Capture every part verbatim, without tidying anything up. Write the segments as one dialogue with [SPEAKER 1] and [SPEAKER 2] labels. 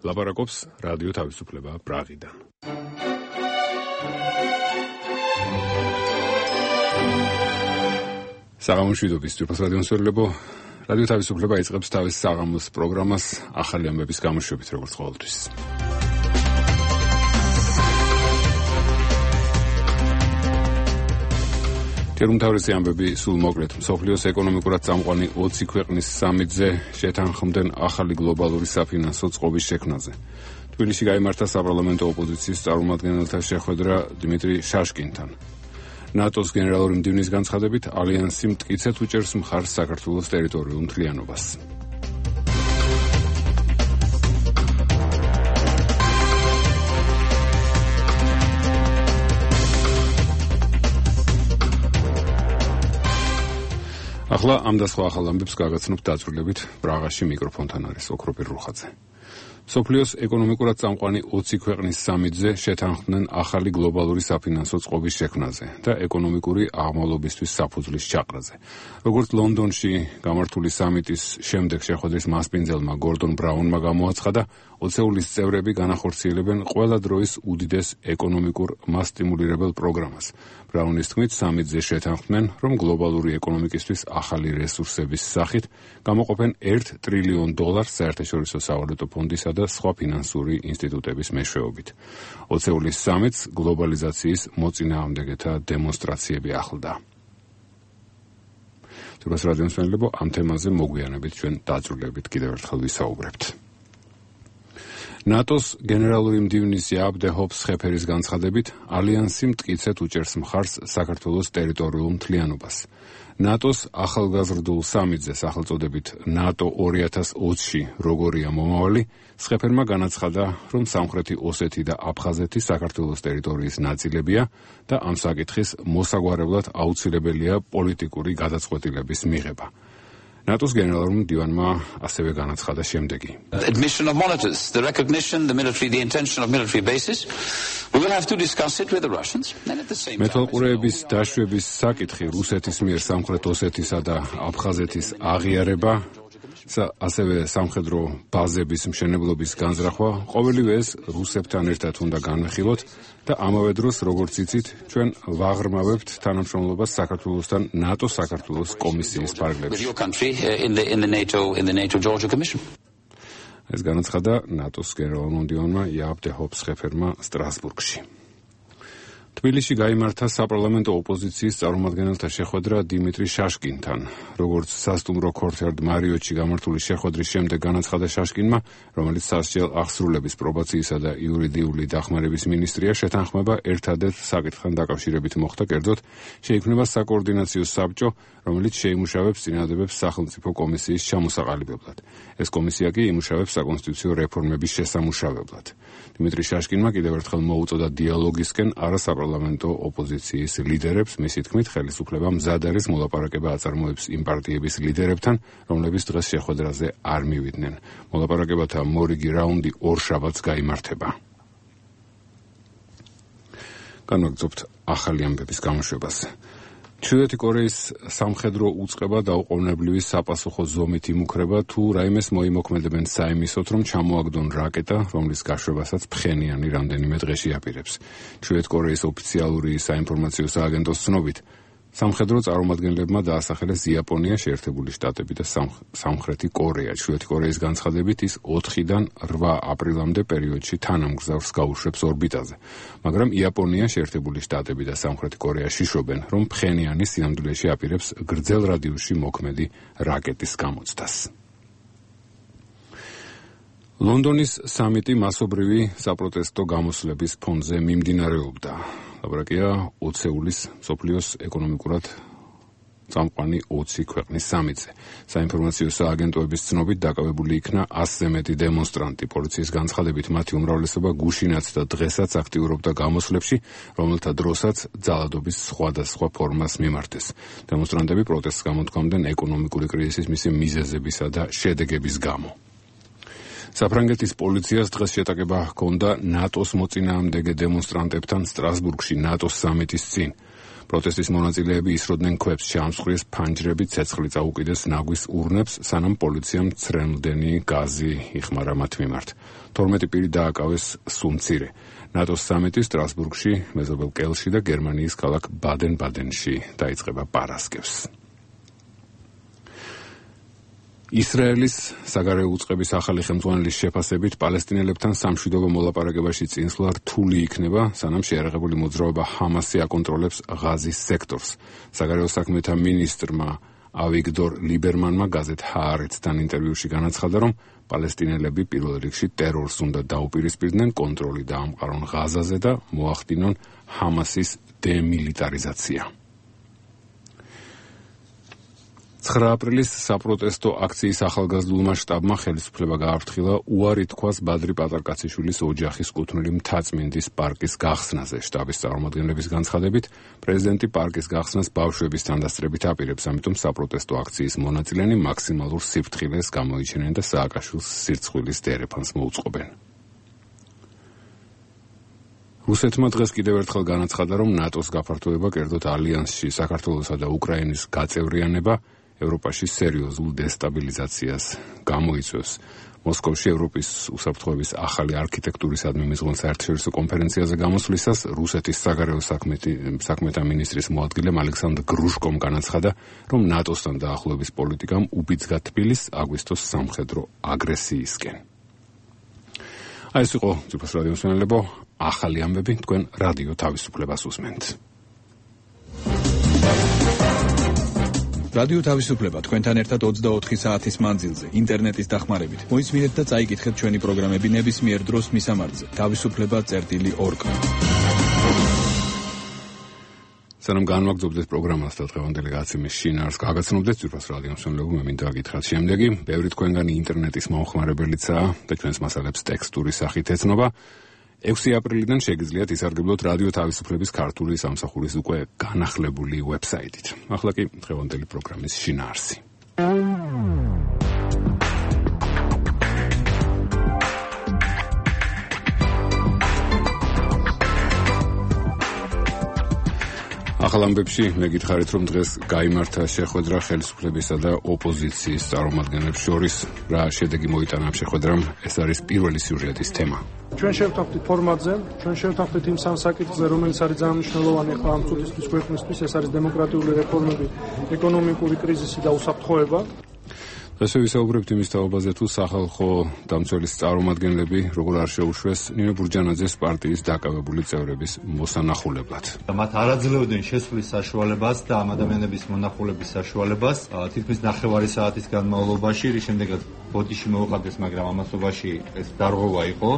[SPEAKER 1] ლაპარაკობს რადიო თავისუფლება პრაღიდან. საღამოშვიდობის ძვირფას რადიომსმენელებო, რადიო თავისუფლება იწყებს თავის საღამოს პროგრამას ახალი ამბების გამოშვებით, როგორც ყოველთვის. თერმთავრისი ამბები სულ მოკლედ. მსოფლიოს ეკონომიკურად წამყვანი ოცი ქვეყნის სამიტზე შეთანხმდნენ ახალი გლობალური საფინანსო წყობის შექმნაზე. თბილისში გაიმართა საპარლამენტო ოპოზიციის წარმომადგენელთა შეხვედრა დიმიტრი შაშკინთან. ნატოს გენერალური მდივნის განცხადებით ალიანსი მტკიცედ უჭერს მხარს საქართველოს ტერიტორიულ მთლიანობას. ახლა ამ და სხვა ახალ ამბებს გაგაცნობთ დაწვრილებით პრაღაში მიკროფონთან არის ოქროპირ რუხაძე. მსოფლიოს ეკონომიკურად წამყვანი ოცი ქვეყნის სამიტზე შეთანხმდნენ ახალი გლობალური საფინანსო წყობის შექმნაზე და ეკონომიკური აღმავლობისთვის საფუძვლის ჩაყრაზე. როგორც ლონდონში გამართული სამიტის შემდეგ შეხვედრის მასპინძელმა გორდონ ბრაუნმა გამოაცხადა, ოცეულის წევრები განახორციელებენ ყველა დროის უდიდეს ეკონომიკურ მასტიმულირებელ პროგრამას. ბრაუნის თქმით, სამიტზე შეთანხმდნენ, რომ გლობალური ეკონომიკისთვის ახალი რესურსების სახით გამოყოფენ ერთ ტრილიონ დოლარს საერთაშორისო სავალუტო ფონდისა და სხვა ფინანსური ინსტიტუტების მეშვეობით. ოცეულის სამიტს გლობალიზაციის მოწინააღმდეგეთა დემონსტრაციები ახლდა. თურმე რადიომსმენელებო, ამ თემაზე მოგვიანებით ჩვენ დაწვრილებით კიდევ ერთხელ ვისაუბრებთ. ნატოს გენერალური მდივნის იაბ დე ჰოპს-ხეფერის განცხადებით ალიანსი მტკიცედ უჭერს მხარს საქართველოს ტერიტორიულ მთლიანობას. ნატოს ახალგაზრდულ სამიტზე სახელწოდებით ნატო ორი ათას ოცში როგორია მომავალი, სხეფერმა განაცხადა, რომ სამხრეთი ოსეთი და აფხაზეთი საქართველოს ტერიტორიის ნაწილებია და ამ საკითხის მოსაგვარებლად აუცილებელია პოლიტიკური გადაწყვეტილების მიღება. ნატოს გენერალურმა მდივანმა ასევე განაცხადა შემდეგი.
[SPEAKER 2] Admission of monitors, the recognition, the military, the intention of military bases. We will have to discuss it with the Russians. And at the same time,
[SPEAKER 1] მეთვალყურეების დაშვების საკითხი რუსეთის მიერ სამხრეთ ოსეთისა და აფხაზეთის აღიარება, ასევე სამხედრო ბაზების მშენებლობის განზრახვა, ყოველივე ეს რუსებთან ერთად უნდა განვიხილოთ და ამავე დროს, როგორც იცით, ჩვენ ვაღრმავებთ თანამშრომლობას საქართველოსთან ნატოს საქართველოს კომისიის ფარგლებში. ეს განაცხადა ნატოს გენერალურმა მდივანმა იაბ დე ჰოპს-ხეფერმა სტრასბურგში. თბილისში გაიმართა საპარლამენტო ოპოზიციის წარმომადგენელთა შეხვედრა დიმიტრი შაშკინთან. როგორც სასტუმრო ქორთერდ მარიოტში გამართული შეხვედრის შემდეგ განაცხადა შაშკინმა, რომელიც სასჯელ აღსრულების პრობაციისა და იურიდიული დახმარების მინისტრია, შეთანხმება ერთადერთ საკითხთან დაკავშირებით მოხდა, კერძოდ შეიქმნება საკოორდინაციო საბჭო, რომელიც შეიმუშავებს წინადადებებს სახელმწიფო კომისიის ჩამოსაყალიბებლად. ეს კომისია კი იმუშავებს საკონსტიტუციო რეფორმების შესამუშავებლად. დიმიტრი შაშკინმა კიდევ ერთხელ მოუწოდა დიალოგისკენ არასაპარლამენტო ოპოზიციის ლიდერებს, მისი თქმით, ხელისუფლება მზად არის მოლაპარაკება აწარმოებს იმ პარტიების ლიდერებთან, რომლებიც დღეს შეხვედრაზე არ მივიდნენ. მოლაპარაკებათა მორიგი რაუნდი ორ შაბათს გაიმართება. განვაგრძობთ ახალი ამბების გამოშვებას. ჩრდილოეთი კორეის სამხედრო უწყება დაუყოვნებლივი საპასუხო ზომით იმუქრება, თუ რაიმეს მოიმოქმედებენ საიმისოთ, რომ ჩამოაგდონ რაკეტა, რომლის გაშვებასაც ფხენიანი რამდენიმე დღეში აპირებს. ჩრდილოეთი კორეის ოფიციალური საინფორმაციო სააგენტოს ცნობით, სამხედრო წარმომადგენლებმა დაასახელეს იაპონია, შეერთებული შტატები და სამხრეთი კორეა. ჩრდილოეთი კორეის განცხადებით ის ოთხიდან რვა აპრილამდე პერიოდში თანამგზავრს გაუშვებს ორბიტაზე. მაგრამ იაპონია, შეერთებული შტატები და სამხრეთი კორეა შიშობენ, რომ ფხენიანი სინამდვილეში აპირებს გრძელ რადიუსში მოქმედი რაკეტის გამოცდას. ლონდონის სამიტი მასობრივი საპროტესტო გამოსვლების ფონზე მიმდინარეობდა. ლაპარაკია ოცეულის მსოფლიოს ეკონომიკურად წამყვანი ოცი ქვეყნის სამიტზე. საინფორმაციო სააგენტოების ცნობით დაკავებული იქნა ასზე მეტი დემონსტრანტი. პოლიციის განცხადებით მათი უმრავლესობა გუშინაც და დღესაც აქტიურობდა გამოსვლებში, რომელთა დროსაც ძალადობის სხვადასხვა ფორმას მიმართეს. დემონსტრანტები პროტესტს გამოთქვამდნენ ეკონომიკური კრიზისის მისი მიზეზებისა და შედეგების გამო. საფრანგეთის პოლიციას დღეს შეტაკება ჰქონდა ნატოს მოწინააღმდეგე დემონსტრანტებთან სტრასბურგში ნატოს სამიტის წინ. პროტესტის მონაწილეები ისროდნენ ქვებს, ჩამსხვრიეს ფანჯრები, ცეცხლი წაუკიდეს ნაგვის ურნებს, სანამ პოლიციამ ცრემლდენი გაზი იხმარა მათ მიმართ. თორმეტი პირი დააკავეს სუმცირე. ნატოს სამიტი სტრასბურგში, მეზობელ კელში და გერმანიის ქალაქ ბადენ-ბადენში დაიწყება პარასკევს. ისრაელის საგარეო უწყების ახალი ხელმძღვანელის შეფასებით პალესტინელებთან სამშვიდობო მოლაპარაკებაში წინსვლა რთული იქნება, სანამ შეიარაღებული მოძრაობა ჰამასი აკონტროლებს ღაზის სექტორს. საგარეო საქმეთა მინისტრმა ავიგდორ ლიბერმანმა გაზეთ ჰაარეცთან ინტერვიუში განაცხადა, რომ პალესტინელები პირველ რიგში ტერორს უნდა დაუპირისპირდნენ, კონტროლი დაამყარონ ღაზაზე და მოახდინონ ჰამასის დემილიტარიზაცია. ცხრა აპრილის საპროტესტო აქციის ახალგაზრდულმა შტაბმა ხელისუფლება გააფრთხილა უარი თქვას ბადრი პატარკაციშვილის ოჯახის კუთვნილი მთაწმინდის პარკის გახსნაზე. შტაბის წარმომადგენლების განცხადებით, პრეზიდენტი პარკის გახსნას ბავშვების თანდასწრებით აპირებს, ამიტომ საპროტესტო აქციის მონაწილენი მაქსიმალურ სიფრთხილეს გამოიჩენენ და სააკაშვილს სირცხვილის დერეფანს მოუწყობენ. რუსეთმა დღეს კიდევ ერთხელ განაცხადა, რომ ნატოს გაფართოება, კერძოდ ალიანსში საქართველოსა და უკრაინის გაწევრიანება ევროპაში სერიოზულ დესტაბილიზაციას გამოიწვევს. მოსკოვში ევროპის უსაფრთხოების ახალი არქიტექტურისადმი მიზღონ საერთაშორისო კონფერენციაზე გამოსვლისას რუსეთის საგარეო საქმეთა მინისტრის მოადგილემ ალექსანდრ გრუშკომ განაცხადა, რომ ნატოსთან დაახლოების პოლიტიკამ უბიძგა თბილისს აგვისტოს სამხედრო აგრესიისკენ. აი ეს იყო ძვირფას რადიო მსმენელებო, ახალი ამბები თქვენ რადიო თავისუფლებას უსმენთ.
[SPEAKER 3] რადიო თავისუფლება თქვენთან ერთად ოცდაოთხი საათის მანძილზე, ინტერნეტის დახმარებით. მოისმინეთ და წაიკითხეთ ჩვენი პროგრამები ნებისმიერ დროს მისამართზე. თავისუფლება წერტილი ორგ. სანამ განვაგრძობთ ეს პროგრამას და დღევანდელი გაცემის შინაარსს გაგაცნობდეთ, ძვირფას რადიო მსმენელებო, მე მინდა გითხრათ შემდეგი. ბევრი თქვენგანი ინტერნეტის მომხმარებელიცაა და ჩვენს მასალებს ტექსტური სახით ეცნობა. ექვსი აპრილიდან შეგიძლიათ ისარგებლოთ რადიო თავისუფლების ქართული სამსახურის უკვე განახლებული ვებსაიტით. ახლა კი დღევანდელი პროგრამის შინაარსი. ახალ ამბებში მე გითხარით, რომ დღეს გაიმართა შეხვედრა ხელისუფლებისა და ოპოზიციის წარმომადგენლებს შორის. რა შედეგი მოიტანა ამ შეხვედრამ, ეს არის პირველი სიუჟეტის თემა.
[SPEAKER 4] ჩვენ შევთანხმდით ფორმატზე, ჩვენ შევთანხმდით იმ სამ საკითხზე, რომელიც არის ძალიან მნიშვნელოვანი ახლა ამ წუთისთვის ქვეყნისთვის, ეს არის დემოკრატიული რეფორმები, ეკონომიკური კრიზისი და უსაფრთხოება.
[SPEAKER 1] დღესვე ვისაუბრებთ იმის თაობაზე, თუ სახალხო დამცველის წარმომადგენლები როგორ არ შეუშვეს ნინო ბურჯანაძეს პარტიის დაკავებული წევრების მოსანახულებლად.
[SPEAKER 5] მათ არ აძლევდნენ შესვლის საშუალებას და ამ ადამიანების მონახულების საშუალებას თითქმის ნახევარი საათის განმავლობაში, რის შემდეგაც ბოდიში მოუყავდეს, მაგრამ ამასობაში ეს დარღვევა იყო.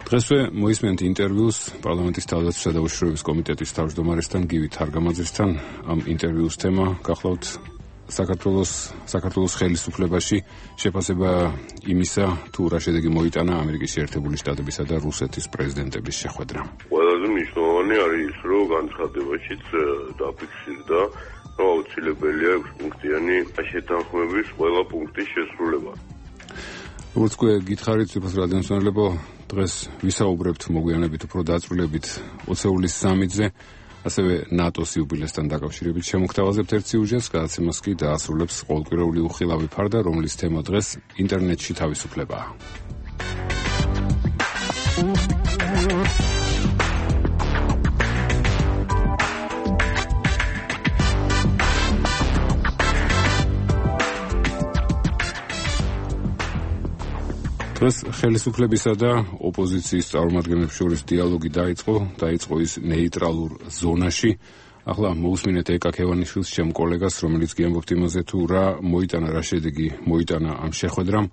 [SPEAKER 1] დღესვე მოისმენთ ინტერვიუს პარლამენტის თავდაცვისა და უშიშროების კომიტეტის თავმჯდომარესთან გივი თარგამაძესთან. ამ ინტერვიუს თემა გახლავთ საქართველოს საქართველოს ხელისუფლებაში შეფასება იმისა, თუ რა შედეგი მოიტანა ამერიკის შეერთებული შტატებისა და რუსეთის პრეზიდენტების შეხვედრამ.
[SPEAKER 6] ყველაზე მნიშვნელოვანი არის ის, რომ განცხადებაშიც დაფიქსირდა, რომ აუცილებელია ექვსპუნქტიანი შეთანხმების ყველა პუნქტის შესრულება.
[SPEAKER 1] როგორც უკვე გითხარით, ძვირფას რადიო მსმენელებო, დღეს ვისაუბრებთ მოგვიანებით უფრო დაწვრილებით ოცეულის სამიტზე, ასევე ნატოს იუბილესთან დაკავშირებით შემოგთავაზებთ ერთ სიუჟეტს, გადაცემას კი დაასრულებს ყოველკვირეული უხილავი ფარდა, რომლის თემა დღეს ინტერნეტში თავისუფლებაა. დღეს ხელისუფლებისა და ოპოზიციის წარმომადგენლებს შორის დიალოგი დაიწყო, დაიწყო ის ნეიტრალურ ზონაში. ახლა მოусმინეთ ეკა ქევანიშვილს, ჩემ კოლეგას, რომელიც გიამბობთ იმაზე, თუ რა მოიტანა, რა შედეგი მოიტანა ამ შეხვედრამ,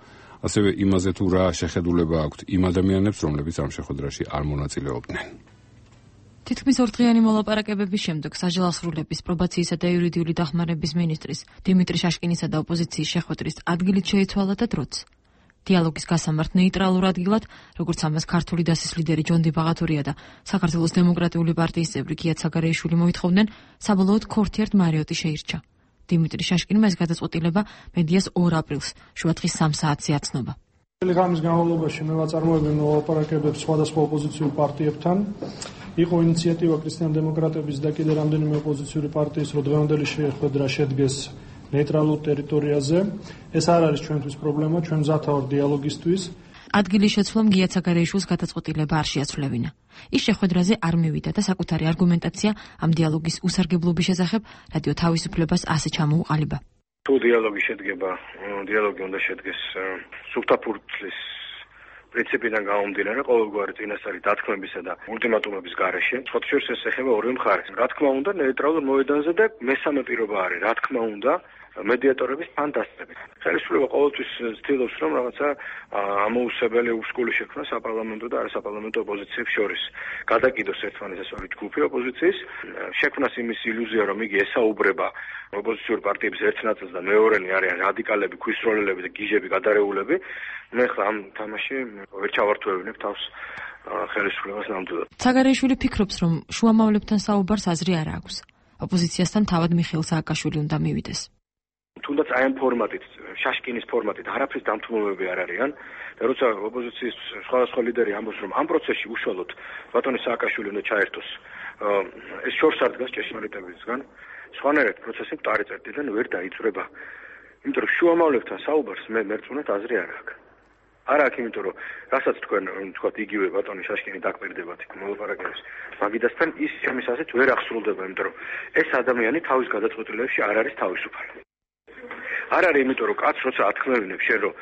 [SPEAKER 1] ასევე იმაზე, თუ რა შეხედულება აქვთ იმ ადამიანებს, რომლებიც ამ შეხვედრაში არ მონაწილეობდნენ.
[SPEAKER 7] თითქმის ორდღიანი მოლაპარაკებების შემდეგ საჯელასრულების, პრობაციისა და იურიდიული დახმარების მინისტრის დიმიტრი შაშკინისა და ოპოზიციის შეხვედრის ადგილით შეიცვალა და დროც. დიალოგის გასამართ ნეიტრალურ ადგილად, როგორც ამას ქართული დასის ლიდერი ჯონდი ბაღათურია და საქართველოს დემოკრატიული პარტიის წევრი გია ცაგარეიშვილი მოითხოვდნენ, საბოლოოდ ქორთიარდ მარიოტი შეირჩა. დიმიტრი შაშკინმა ეს გადაწყვეტილება მედიას ორ აპრილს, შუადღის სამ საათზე აცნობა.
[SPEAKER 4] ღამის განმავლობაში მე ვაწარმოებდი მოლაპარაკებებს სხვადასხვა ოპოზიციურ პარტიებთან. იყო ინიციატივა ქრისტიან-დემოკრატების და კიდე რამდენიმე ოპოზიციური პარტიის, რომ დღევანდელი შეხვედრა შედგეს ნეიტრალურ ტერიტორიაზე. ეს არ არის ჩვენთვის პრობლემა, ჩვენ მზად ვართ დიალოგისთვის.
[SPEAKER 7] ადგილის შეცვლამ გია ცაგარეიშვილს გადაწყვეტილება არ შეაცვლებინა. ის შეხვედრაზე არ მივიდა და საკუთარი არგუმენტაცია ამ დიალოგის უსარგებლობის შესახებ რადიო თავისუფლებას ასე ჩამოუყალიბა.
[SPEAKER 8] თუ დიალოგი შედგება, დიალოგი უნდა შედგეს სუფთაფურცლის პრინციპიდან გამომდინარე, ყოველგვარი წინასწარი დათქმებისა და ულტიმატუმების გარეშე. სხვათაშორის ეს ეხება ორივე მხარეს. რა თქმა უნდა, ნეიტრალურ მოედანზე და მესამე პირობა არის, რა თქმა უნდა, მედიატორების ფანტასტები. ხელისუფლება ყოველთვის ცდილობს, რომ რაღაცა ამოუსებელი უსკული შექმნა საპარლამენტო და არასაპარლამენტო ოპოზიციებს შორის. გადაკიდოს ერთმანეთს ორი ჯგუფი ოპოზიციის, შექმნას იმის ილუზია, რომ იგი ესაუბრება ოპოზიციური პარტიების ერთ ნაწილს და მეორენი არიან რადიკალები, ქვის-როლელები და გიჟები, გადარეულები. მე ხლა ამ თამაში ვერ ჩავართვევინებ თავს ხელისუფლებას ნამდვილად.
[SPEAKER 7] ცაგარეიშვილი ფიქრობს, რომ შუამავლებთან საუბარს აზრი არ აქვს. ოპოზიციასთან თავად მიხეილ სააკაშვილი უნდა მივიდეს.
[SPEAKER 8] თუნდაც აი ამ ფორმატით, შაშკინის ფორმატით არაფრის დამთმობები არ არიან და როცა ოპოზიციის სხვადასხვა ლიდერი ამბობს, რომ ამ პროცესში უშუალოდ ბატონი სააკაშვილი უნდა ჩაერთოს, ეს შორს არ დგას ჭეშმარიტებისგან. სხვანაირად პროცესი მტარი წერტიდან ვერ დაიწვრება. იმიტომ რომ შუამავლებთან საუბარს მე მერწმუნეთ აზრი არ აქვს. არ აქვს, იმიტომ რომ რასაც თქვენ თქვათ იგივე ბატონი შაშკინი დაკვირდებათ იქ მოლაპარაკების მაგიდასთან ის ჩემის აზრით ვერ აღსრულდება, იმიტომ რომ ეს ადამიანი თავის გადაწყვეტილებებში არ არის თავისუფალი. არ არის, იმიტომ რომ კაც როცა ათქმევინებს შენ რომ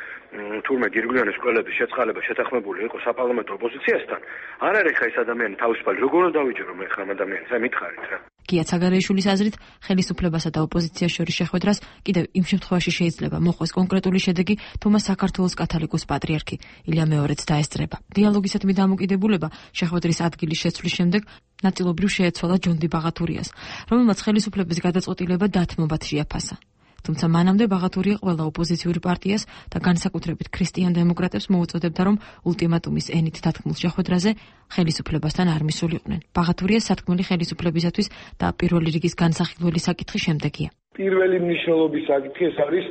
[SPEAKER 8] თურმე გირგვლიანის კვლელების შეწყალება შეთანხმებული იყო საპარლამენტო ოპოზიციასთან, არ არის ხა ეს ადამიანი თავისუფალი. როგორ უნდა დავიჯერო მე ხა ამ ადამიანს? აი მითხარით რა.
[SPEAKER 7] გია ცაგარეიშვილის აზრით, ხელისუფლებასა და ოპოზიციას შორის შეხვედრას კიდევ იმ შემთხვევაში შეიძლება მოხდეს კონკრეტული შედეგი, თუ მას საქართველოს კათოლიკოს პატრიარქი ილია მეორეც დაესწრება. დიალოგისადმი დამოკიდებულება შეხვედრის ადგილის შეცვლის შემდეგ ნაწილობრივ შეეცვალა ჯონდი ბაღათურიას, რომელმაც ხელისუფლების გადაწყვეტილება დათმობად შეაფასა. თუმცა მანამდე ბაღათურია ყველა ოპოზიციური პარტიას და განსაკუთრებით ქრისტიან-დემოკრატებს მოუწოდებდა, რომ ულტიმატუმის ენით დათქმულ შეხვედრაზე ხელისუფლებასთან არ მისულიყვნენ. ბაღათურიას სათქმელი ხელისუფლებისათვის და პირველი რიგის განსახილველი საკითხი შემდეგია.
[SPEAKER 9] პირველი მნიშვნელობის საკითხი ეს არის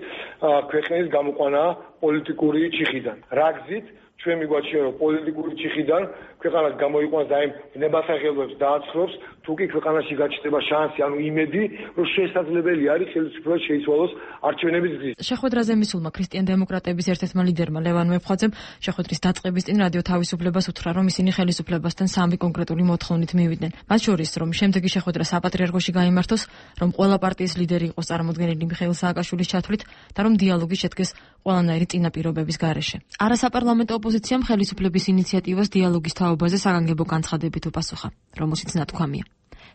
[SPEAKER 9] ქვეყნის გამოყვანა პოლიტიკური ჩიხიდან. რა გზით ჩვენ მიგვაჩნია, რომ პოლიტიკური ჩიხიდან ქვეყანას გამოიყვანს და იმ ნებასახელებს დააცხრობს, თუ კი ქვეყანაში გაჩნდება შანსი, ანუ იმედი, რომ შესაძლებელი არის ხელისუფლებას შეიცვალოს არჩევნების გზით.
[SPEAKER 7] შეხვედრაზე მისულმა ქრისტიან-დემოკრატების ერთ-ერთმა ლიდერმა ლევან მეფხვაძემ შეხვედრის დაწყების წინ რადიო თავისუფლებას უთხრა, რომ ისინი ხელისუფლებასთან სამი კონკრეტული მოთხოვნით მივიდნენ. მათ შორის, რომ შემდეგი შეხვედრა საპატრიარქოში გაიმართოს, რომ ყველა პარტიის ლიდერი იყოს წარმოდგენილი მიხეილ სააკაშვილის ჩათვლით და რომ დიალოგი შედგეს ყველანაირი წინაპირობების გარეშე. არასაპარლამენტო ოპოზიციამ ხელისუფლების ინიციატივას დიალოგის თაობაზე საგანგებო განცხადებით უპასუხა, რომელშიც ნათქვამია.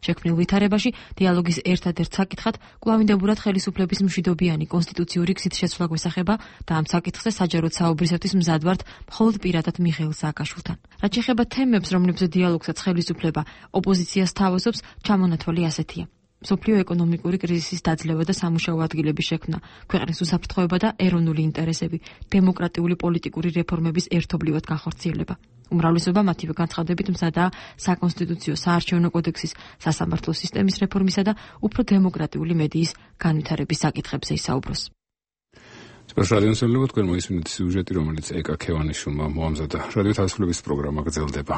[SPEAKER 7] შექმნილ ვითარებაში დიალოგის ერთადერთ საკითხად კვლავინდებურად ხელისუფლების მშვიდობიანი კონსტიტუციური გზით შეცვლა გვესახება და ამ საკითხზე საჯაროდ საუბრისათვის მზად ვართ მხოლოდ პირადად მიხეილ სააკაშვილთან. რაც შეეხება თემებს, რომლებზეც დიალოგსაც ხელისუფლება ოპოზიციას თავაზობს, ჩამონათვალი ასეთია. მსოფლიო ეკონომიკური კრიზისის დაძლევა და სამუშაო ადგილების შექმნა, ქვეყნის უსაფრთხოება და ეროვნული ინტერესები, დემოკრატიული პოლიტიკური რეფორმების ერთობლივად განხორციელება. უმრავლესობა მათივე განცხადებით მზადაა საკონსტიტუციო საარჩევნო კოდექსის, სასამართლო სისტემის რეფორმისა და უფრო დემოკრატიული მედიის განვითარების საკითხებზე ისაუბროს.
[SPEAKER 3] სპეციალისტებმა თქვენ მოისმინეთ სიუჟეტი, რომელიც ეკა ქევანიშვილმა მოამზადა. რადიო თავისუფლების პროგრამა გრძელდება.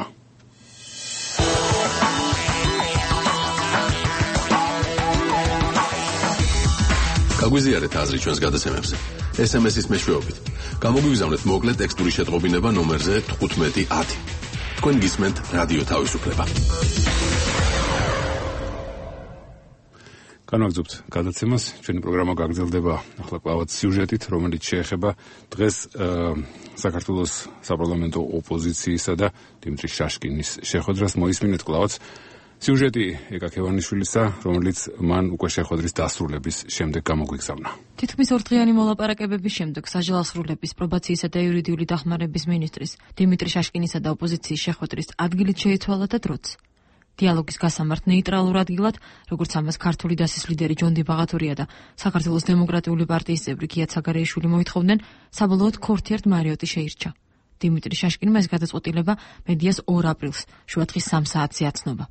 [SPEAKER 10] გაგვიზიარეთ აზრი ჩვენს გადაცემებზე. ეს ემ ეს-ის მეშვეობით. გამოგვიგზავნეთ მოკლე ტექსტური შეტყობინება ნომერზე თხუთმეტი ათი. თქვენ გისმენთ რადიო თავისუფლება.
[SPEAKER 3] განვაგრძობთ გადაცემას. ჩვენი პროგრამა გაგრძელდება ახლა კლავაც სიუჟეტით, რომელიც შეეხება დღეს საქართველოს საპარლამენტო ოპოზიციისა და დიმიტრი შაშკინის შეხვედრას. მოისმინეთ კლავაც სიუჟეტი ეკა ქევანიშვილისა, რომელიც მან უკვე შეხვედრის დასრულების შემდეგ გამოგვიგზავნა.
[SPEAKER 7] თითქმის ორდღიანი მოლაპარაკებების შემდეგ საჯელასრულების, პრობაციისა და იურიდიული დახმარების მინისტრის დიმიტრი შაშკინისა და ოპოზიციის შეხვედრის ადგილით შეიცვალა და დროც. დიალოგის გასამართ ნეიტრალურ ადგილად, როგორც ამას ქართული დასის ლიდერი ჯონდი ბაღათურია და საქართველოს დემოკრატიული პარტიის წევრი გია ცაგარეიშვილი მოითხოვდნენ, საბოლოოდ ქორთიარდ მარიოტი შეირჩა. დიმიტრი შაშკინმა ეს გადაწყვეტილება მედიას ორ აპრილს, შუადღის სამ საათზე აცნობა.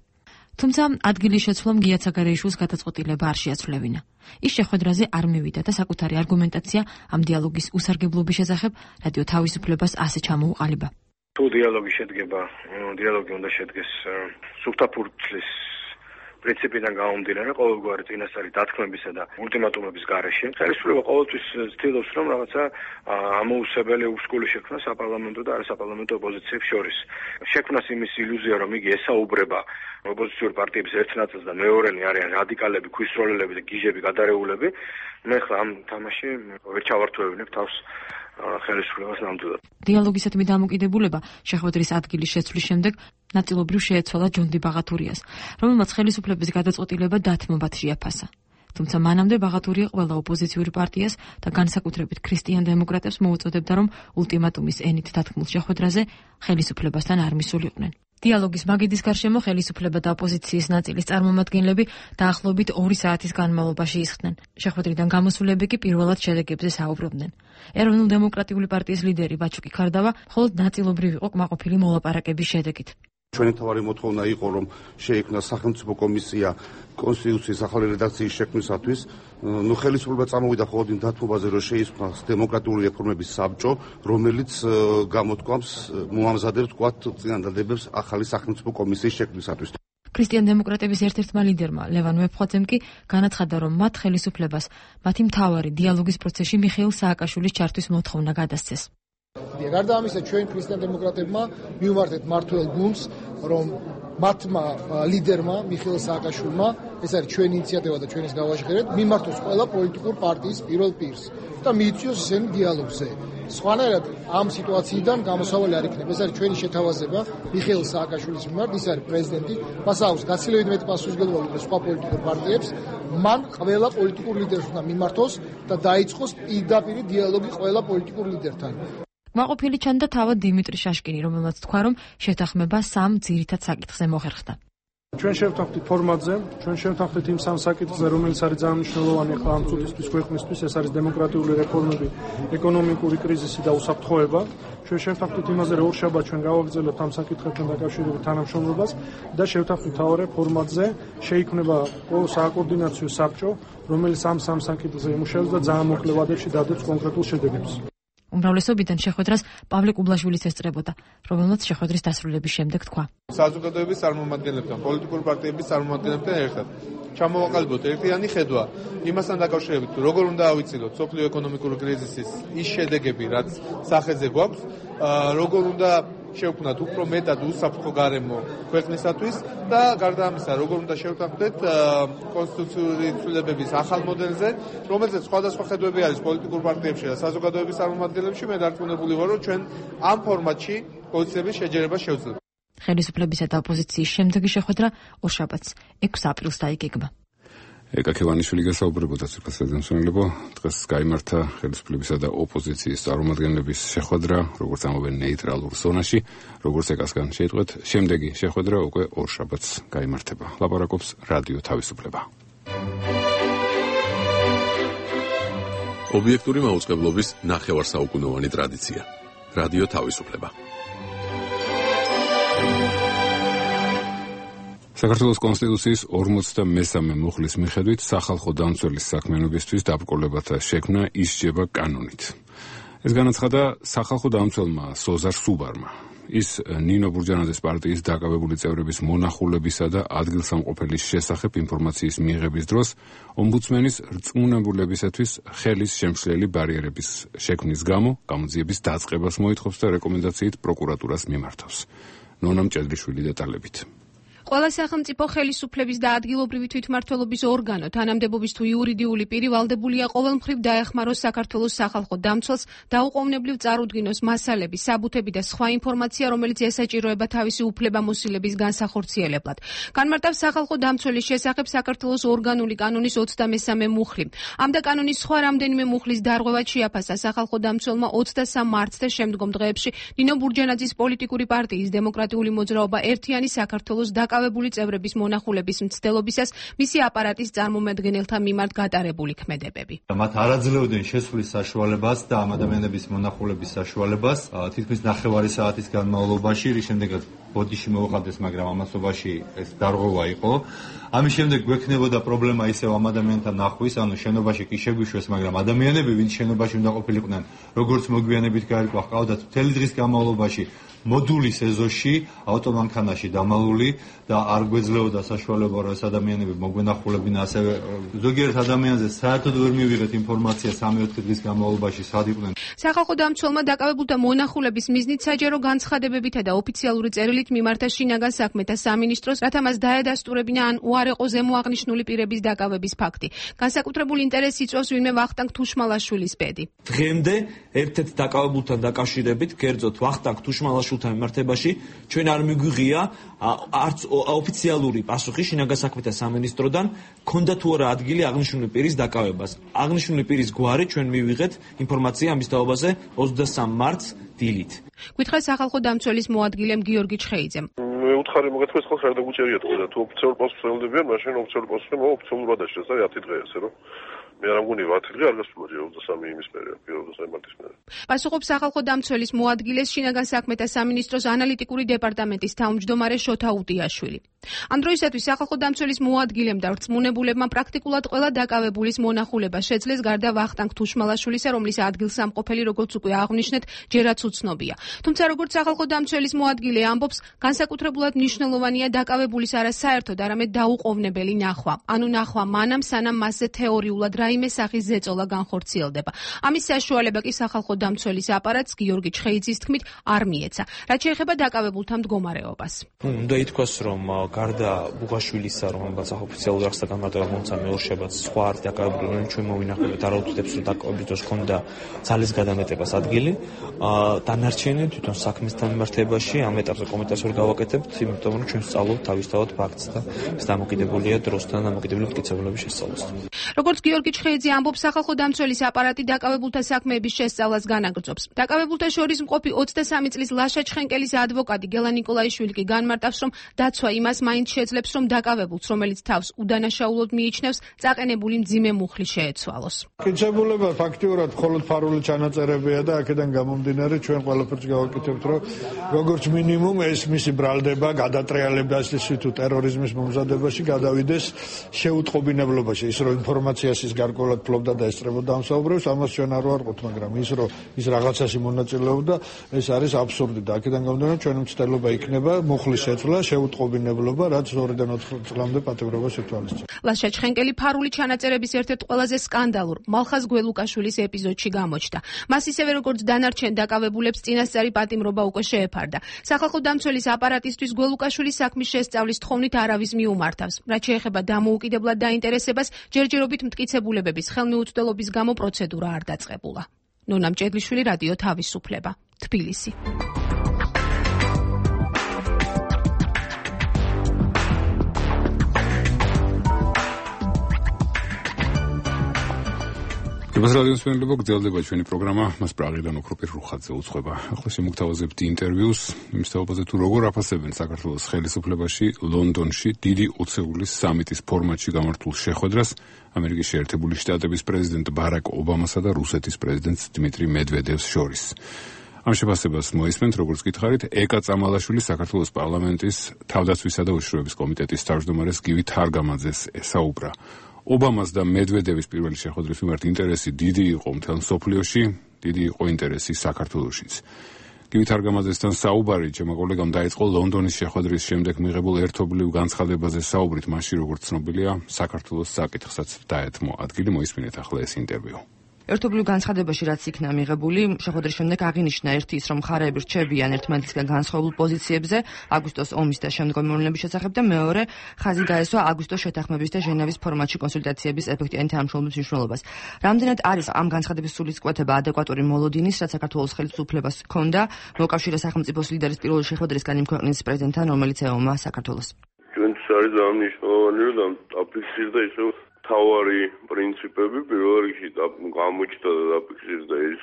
[SPEAKER 7] თუმცა ადგილის შეცვლამ გია ცაგარეიშვილს გადაწყვეტილება არ შეაცვლევინა. ის შეხვედრაზე არ მივიდა და საკუთარი არგუმენტაცია ამ დიალოგის უსარგებლობის შესახებ რადიო თავისუფლებას ასე ჩამოუყალიბა.
[SPEAKER 8] თუ დიალოგი შედგება, დიალოგი უნდა შედგეს სუფთაფურცლის პრინციპიდან გამომდინარე, ყოველგვარი წინასწარი დათქმებისა და ულტიმატუმების გარეშე. ხელისუფლება ყოველთვის ცდილობს, რომ რაღაცა ამოუსებელი უსკული შექმნა საპარლამენტო და არასაპარლამენტო ოპოზიციებს შორის. შექმნას იმის ილუზია, რომ იგი ესაუბრება ოპოზიციური პარტიების ერთ ნაწილს და მეორენი არიან რადიკალები, ქვისროლელები და გიჟები, გადარეულები. მე ხლა ამ თამაში ვერ ჩავართვევინებ თავს ხელისუფლებას ნამდვილად.
[SPEAKER 7] დიალოგისადმი დამოკიდებულება შეხვედრის ადგილის შეცვლის შემდეგ ნაწილობრივ შეეცვალა ჯონდი ბაღათურიას, რომელმაც ხელისუფლების გადაწყვეტილება დათმობად შეაფასა. თუმცა მანამდე ბაღათურია ყველა ოპოზიციური პარტიას და განსაკუთრებით ქრისტიან დემოკრატებს მოუწოდებდა, რომ ულტიმატუმის ენით დათქმულ შეხვედრაზე ხელისუფლებასთან არ მისულიყვნენ. დიალოგის მაგიდის გარშემო ხელისუფლება და ოპოზიციის ნაწილის წარმომადგენლები დაახლოებით ორი საათის განმავლობაში ისხდნენ. შეხვედრიდან გამოსულები კი პირველად შედეგებზე საუბრობდნენ. ეროვნულ-დემოკრატიული პარტიის ლიდერი ვაჩუკი ქარდავა მხოლოდ ნაწილობრივ იყო კმაყოფილი მოლაპარაკების შედეგით.
[SPEAKER 11] ჩვენი თავარი მოთხოვნა იყო, რომ შეიქმნა სახელმწიფო კომისია კონსტიტუციის ახალი რედაქციის შექმნისათვის. ნუ ხელისუფლება წამოვიდა მხოლოდ იმ დათმობაზე, რომ შეიქმნას დემოკრატიული რეფორმების საბჭო, რომელიც გამოთქვამს მოამზადებს თქვათ წინადადებებს ახალი სახელმწიფო კომისიის შექმნისათვის.
[SPEAKER 7] ქრისტიან დემოკრატების ერთ-ერთმა ლიდერმა ლევან ვეფხვაძემ კი განაცხადა, რომ მათ ხელისუფლებას მათი მთავარი დიალოგის პროცესში მიხეილ სააკაშვილის ჩართვის მოთხოვნა გადასცეს.
[SPEAKER 12] გარდა ამისა, ჩვენ ქრისტიან დემოკრატებმა მივმართეთ მმართველ გუნდს, რომ მათმა ლიდერმა მიხეილ სააკაშვილმა, ეს არის ჩვენი ინიციატივა და ჩვენის გავაჟღერეთ, მიმართოს ყველა პოლიტიკურ პარტიის პირველ პირს და მიიწვიოს ისინი დიალოგზე. სხვანაირად ამ სიტუაციიდან გამოსავალი არ იქნება. ეს არის ჩვენი შეთავაზება მიხეილ სააკაშვილის მიმართ, ის არის პრეზიდენტი, მას აქვს გაცილებით მეტი პასუხისმგებლობა ვიდრე სხვა პოლიტიკურ პარტიებს. მან ყველა პოლიტიკურ ლიდერს უნდა მიმართოს და დაიწყოს პირდაპირ დიალოგი ყველა პოლიტიკურ ლიდერთან.
[SPEAKER 7] კმაყოფილი ჩანდა თავად დიმიტრი შაშკინი, რომელმაც თქვა, რომ შეთანხმება სამ ძირითად საკითხზე მოხერხდა.
[SPEAKER 4] ჩვენ შევთანხმდით ფორმატზე, ჩვენ შევთანხმდით იმ სამ საკითხზე, რომელიც არის ძალიან მნიშვნელოვანი ახლა ამ წუთისთვის ქვეყნისთვის, ეს არის დემოკრატიული რეფორმები, ეკონომიკური კრიზისი და უსაფრთხოება. ჩვენ შევთანხმდით იმაზე, რომ ორშაბათს ჩვენ გავაგრძელებთ ამ საკითხებთან დაკავშირებით თანამშრომლობას და შევთანხმდით თავარე ფორმატზე, შეიქმნება სააკოორდინაციო საბჭო, რომელიც ამ სამ საკითხზე იმუშავებს და ძალიან მოკლე ვადებში დადებს კონკრეტულ შედეგებს.
[SPEAKER 7] უმრავლესობიდან შეხვედრას პავლე კუბლაშვილიც ესწრებოდა, რომელმაც შეხვედრის დასრულების შემდეგ თქვა.
[SPEAKER 13] საზოგადოების წარმომადგენლებთან, პოლიტიკური პარტიების წარმომადგენლებთან ერთად ჩამოვაყალიბოთ ერთიანი ხედვა იმასთან დაკავშირებით, როგორ უნდა ავიცილოთ სოფლიო ეკონომიკური კრიზისის ის შედეგები, რაც სახეზე გვაქვს, როგორ უნდა შევქმნათ უფრო მეტად უსაფრთხო გარემო ქვეყნისათვის და გარდა ამისა, როგორ უნდა შევთანხმდეთ კონსტიტუციური ცვლილებების ახალ მოდელზე, რომელზეც სხვადასხვა ხედვები არის პოლიტიკურ პარტიებში და საზოგადოების წარმომადგენლებში. მე დარწმუნებული ვარ, რომ ჩვენ ამ ფორმატში პოზიციების შეჯერებას შევძლებთ.
[SPEAKER 7] ხელისუფლებისა და ოპოზიციის შემდეგი შეხვედრა ორშაბათს ექვსი აპრილს დაიგეგმა.
[SPEAKER 1] ეკა ქევანიშვილი გასაუბრებოდა ცირკასადენსონელებო, დღეს გაიმართა ხელისუფლებისა და ოპოზიციის წარმომადგენლების შეხვედრა, როგორც ამობენ ნეიტრალურ ზონაში, როგორც ეკასგან შეიტყვეთ, შემდეგი შეხვედრა უკვე ორშაბათს გაიმართება. ლაპარაკობს რადიო თავისუფლება.
[SPEAKER 10] ობიექტური მაუწყებლობის ნახევარსაუკუნოვანი ტრადიცია. რადიო თავისუფლება.
[SPEAKER 1] საქართველოს კონსტიტუციის ორმოცდამესამე მუხლის მიხედვით სახალხო დამცველის საქმიანობისთვის დაბრკოლებათა შექმნა ისჯება კანონით. ეს განაცხადა სახალხო დამცველმა სოზარ სუბარმა. ის ნინო ბურჯანაძის პარტიის დაკავებული წევრების მონახულებისა და ადგილსამყოფელის შესახებ ინფორმაციის მიღების დროს ომბუდსმენის რწმუნებულებისათვის ხელის შემცვლელი ბარიერების შექმნის გამო გამოძიების დაწყებას მოითხოვს და რეკომენდაციით პროკურატურას მიმართავს. ნონა მჭედლიშვილი დეტალებით.
[SPEAKER 14] ყველა სახელმწიფო ხელისუფლების და ადგილობრივი თვითმმართველობის ორგანო, თანამდებობის თუ იურიდიული პირი ვალდებულია ყოველმხრივ დაეხმაროს საქართველოს სახალხო დამცველს, დაუყოვნებლივ წარუდგინოს მასალები, საბუთები და სხვა ინფორმაცია, რომელიც ესაჭიროება თავისი უფლებამოსილების განსახორციელებლად. განმარტავს სახალხო დამცველის შესახებ საქართველოს ორგანული კანონის ოცდამესამე მუხლი. ამ და კანონის სხვა რამდენიმე მუხლის დარღვევად შეაფასა სახალხო დამცველმა ოცდასამ მარტს და შემდგომ დღეებში ნინო ბურჯანაძის პოლიტიკური პარტიის დემოკრატიული მოძრაობა ერთიანი საქართველოს დაკავებული წევრების მონახულების მცდელობისას მისი აპარატის წარმომადგენელთა მიმართ გატარებული ქმედებები.
[SPEAKER 5] მათ არ აძლევდნენ შესვლის საშუალებას და ამ ადამიანების მონახულების საშუალებას თითქმის ნახევარი საათის განმავლობაში, რის შემდეგაც ბოდიში მოუხდეს, მაგრამ ამასობაში ეს დარღვევა იყო. ამის შემდეგ გვექნებოდა პრობლემა ისევ ამ ადამიანთა ნახვის, ანუ შენობაში კი შეგვიშვეს, მაგრამ ადამიანები, ვინც შენობაში უნდა ყოფილიყვნენ, როგორც მოგვიანებით გაირკვა, ჰყავდათ მთელი დღის განმავლობაში მოდულის ეზოში ავტომანქანაში დამალული და არ გვეძლეოდა საშუალება რომ ეს ადამიანები მოგვენახულებინა ასევე ზოგიერთ ადამიანზე საერთოდ ვერ მივიღეთ ინფორმაცია სამი-ოთხი დღის განმავლობაში სად იყვნენ.
[SPEAKER 14] სახალხო დამცველმა დაკავებულთა მონახულების მიზნით საჯარო განცხადებებითა და ოფიციალური წერილით მიმართა შინაგან საქმეთა სამინისტროს, რათა მას დაედასტურებინა ან უარეყო ზემოაღნიშნული პირების დაკავების ფაქტი. განსაკუთრებულ ინტერესს იწვევს ვინმე ვახტანგ თუშმალაშვილის ბედი.
[SPEAKER 15] დღემდე ერთ-ერთ დაკავებულთან დაკავშირებით, კერძოდ ვახტანგ თუშმალაშვილთან მიმართებაში, ჩვენ არ მიგვიღია არც ოფიციალური პასუხი შინაგან საქმეთა სამინისტროდან, ქონდა თუ არა ადგილი აღნიშნული პირის დაკავებას. აღნიშნული პირის გვარი ჩვენ მივიღეთ ინფორმაცია ამის თაობაზე ოცდასამ მარტს დილით.
[SPEAKER 14] გითხრა სახალხო დამცველის მოადგილემ გიორგი ჩხეიძემ.
[SPEAKER 6] მე უთხარი მოგეთქვეს ხოლმე ხარ და გუჭერიათ ხოლმე თუ ოფიციალურ პასუხს ელოდებიან, მაშინ ოფიციალური პასუხი მო ოფიციალურად აღშეს და ათი დღე ესე რომ მე არ მგონი ათი დღე არ გასულა ოცდასამი იმის პერიოდი, ოცდასამი მარტის პერიოდი.
[SPEAKER 14] პასუხობს სახალხო დამცველის მოადგილეს შინაგან საქმეთა სამინისტროს ანალიტიკური დეპარტამენტის თავმჯდომარე შოთა უტიაშვილი. ამ დროისათვის სახალხო დამცველის მოადგილემ და რწმუნებულებმა პრაქტიკულად ყველა დაკავებულის მონახულება შეძლეს გარდა ვახტანგ თუშმალაშვილისა, რომლის ადგილსამყოფელი როგორც უკვე აღვნიშნეთ, ჯერაც უცნობია. თუმცა როგორც სახალხო დამცველის მოადგილე ამბობს, განსაკუთრებულად მნიშვნელოვანია დაკავებულის არა საერთოდ, არამედ დაუყოვნებელი ნახვა. ანუ ნახვა მანამ, სანამ მასზე თეორიულად რაიმე სახის ზეწოლა განხორციელდება. ამის საშუალება კი სახალხო დამცველის აპარატს გიორგი ჩხეიძის თქმით არ მიეცა. რაც შეეხება დაკავებულთა მდგომარეობას.
[SPEAKER 15] უნდა ითქვას, რომ გარდა ბუღაშვილისა, რომელსაც ოფიციალურ აღსა განმარტება მომცა მეორშებაც სხვა არის დაკავებული, რომ ჩვენ მოვინახულეთ არაუთლებს, რომ დაკავების დროს ჰქონდა ძალის გადამეტებას ადგილი. დანარჩენი თვითონ საქმესთან მიმართებაში ამ ეტაპზე კომენტარს ვერ გავაკეთებთ, იმიტომ რომ ჩვენ სწავლობთ თავისთავად ფაქტს და ეს დამოკიდებულია დროსთან დამოკიდებული მტკიცებულების შესწავლასთან.
[SPEAKER 14] როგორც გიორგი ჩხეიძე ამბობს, სახალხო დამცველის აპარატი დაკავებულთა საქმეების შესწავლას განაგრძობს. დაკავებულთა შორის მყოფი ოცდასამი წლის ლაშა ჩხენკელის ადვოკატი გელა ნიკოლაიშვილი კი განმარტავს, რომ დაცვა იმას მაინც შეძლებს, რომ დაკავებულს, რომელიც თავს უდანაშაულოდ მიიჩნევს, წაყენებული მძიმე მუხლი შეეცვალოს.
[SPEAKER 16] კითხებულება ფაქტიურად მხოლოდ ფარული ჩანაწერებია და აქედან გამომდინარე ჩვენ ყველაფერს გავაკეთებთ, რომ როგორც მინიმუმ ეს მისი ბრალდება, გადატრიალება ისე თუ ტერორიზმის მომზადებაში გადავიდეს შეუტყობინებლობაში, ის რომ ინფორმაციას ის გარკვეულად ფლობდა და ესწრებოდა ამ საუბრებს, ამას ჩვენ არ ვარყოთ, მაგრამ ის რომ ის რაღაცაში მონაწილეობდა, ეს არის აბსურდი და აქედან გამომდინარე ჩვენი მცდელობა იქნება მუხლის შეცვლა, შეუტყობინებლობა, რაც ორიდან ოთხ წლამდე პატიმრობას ითვალისწინებს.
[SPEAKER 14] ლაშა ჩხენკელი ფარული ჩანაწერების ერთ-ერთ ყველაზე სკანდალურ მალხაზ გველუკაშვილის ეპიზოდში გამოჩნდა. მას ისევე როგორც დანარჩენ დაკავებულებს წინასწარი პატიმრობა უკვე შეეფარდა. სახალხო დამცველის აპარატისთვის გველუკაშვილის საქმის შესწავლის თხოვნით არავის მიუმართავს. რაც შეეხება დამოუკიდებლად დაინტერესებას, ჯერჯერობით მტკიცებულებების ხელმიუწვდელობის გამო პროცედურა არ დაწყებულა. ნონა მჭედლიშვილი, რადიო თავისუფლება, თბილისი.
[SPEAKER 1] ეს რადიოს ფენლებო გრძელდება ჩვენი პროგრამა, მას პრაღიდან ოქროპირ რუხაძე უძღვება. ახლა შემოგთავაზებთ ინტერვიუს იმის თაობაზე თუ როგორ აფასებენ საქართველოს ხელისუფლებაში ლონდონში დიდი ოცეულის სამიტის ფორმატში გამართულ შეხვედრას ამერიკის შეერთებული შტატების პრეზიდენტ ბარაკ ობამასა და რუსეთის პრეზიდენტ დიმიტრი მედვედევს შორის. ამ შეფასებას მოისმენთ, როგორც გითხარით, ეკა წამალაშვილი საქართველოს პარლამენტის თავდაცვისა და უშიშროების კომიტეტის თავმჯდომარეს გივი თარგამაძეს ესაუბრა. ობამას და მედვედევის პირველი შეხვედრის მიმართ ინტერესი დიდი იყო მთელ მსოფლიოში, დიდი იყო ინტერესი საქართველოშიც. გივი თარგამაძესთან საუბარი ჩემო კოლეგამ დაიწყო ლონდონის შეხვედრის შემდეგ მიღებულ ერთობლივ განცხადებაზე საუბრით, მაშინ როგორც ცნობილია, საქართველოს საკითხსაც დაეთმო ადგილი. მოისმინეთ ახლა ეს ინტერვიუ.
[SPEAKER 17] ერთობლივ განცხადებაში რაც იქნა მიღებული, შეხვედრის შემდეგ აღინიშნა ერთი ის, რომ მხარეები რჩებიან ერთმანეთისგან განსხვავებულ პოზიციებზე აგვისტოს ომის და შემდგომი მოვლენების შესახებ და მეორე ხაზი დაესვა აგვისტოს შეთანხმების და ჟენევის ფორმატში კონსულტაციების ეფექტიანი თანამშრომლობის მნიშვნელობას. რამდენად არის ამ განცხადების სულისკვეთება ადეკვატური მოლოდინის, რაც საქართველოს ხელისუფლებას ჰქონდა მოკავშირე სახელმწიფოს ლიდერის პირველი შეხვედრისგან იმ ქვეყნის პრეზიდენტთან, რომელიც ეომა საქართველოს.
[SPEAKER 6] ჩვენთვის არის აღნიშნული, რომ აფიქსირდა ისე თავარი პრინციპები პირველ რიგში გამოჩნდა და დაფიქსირდა ის,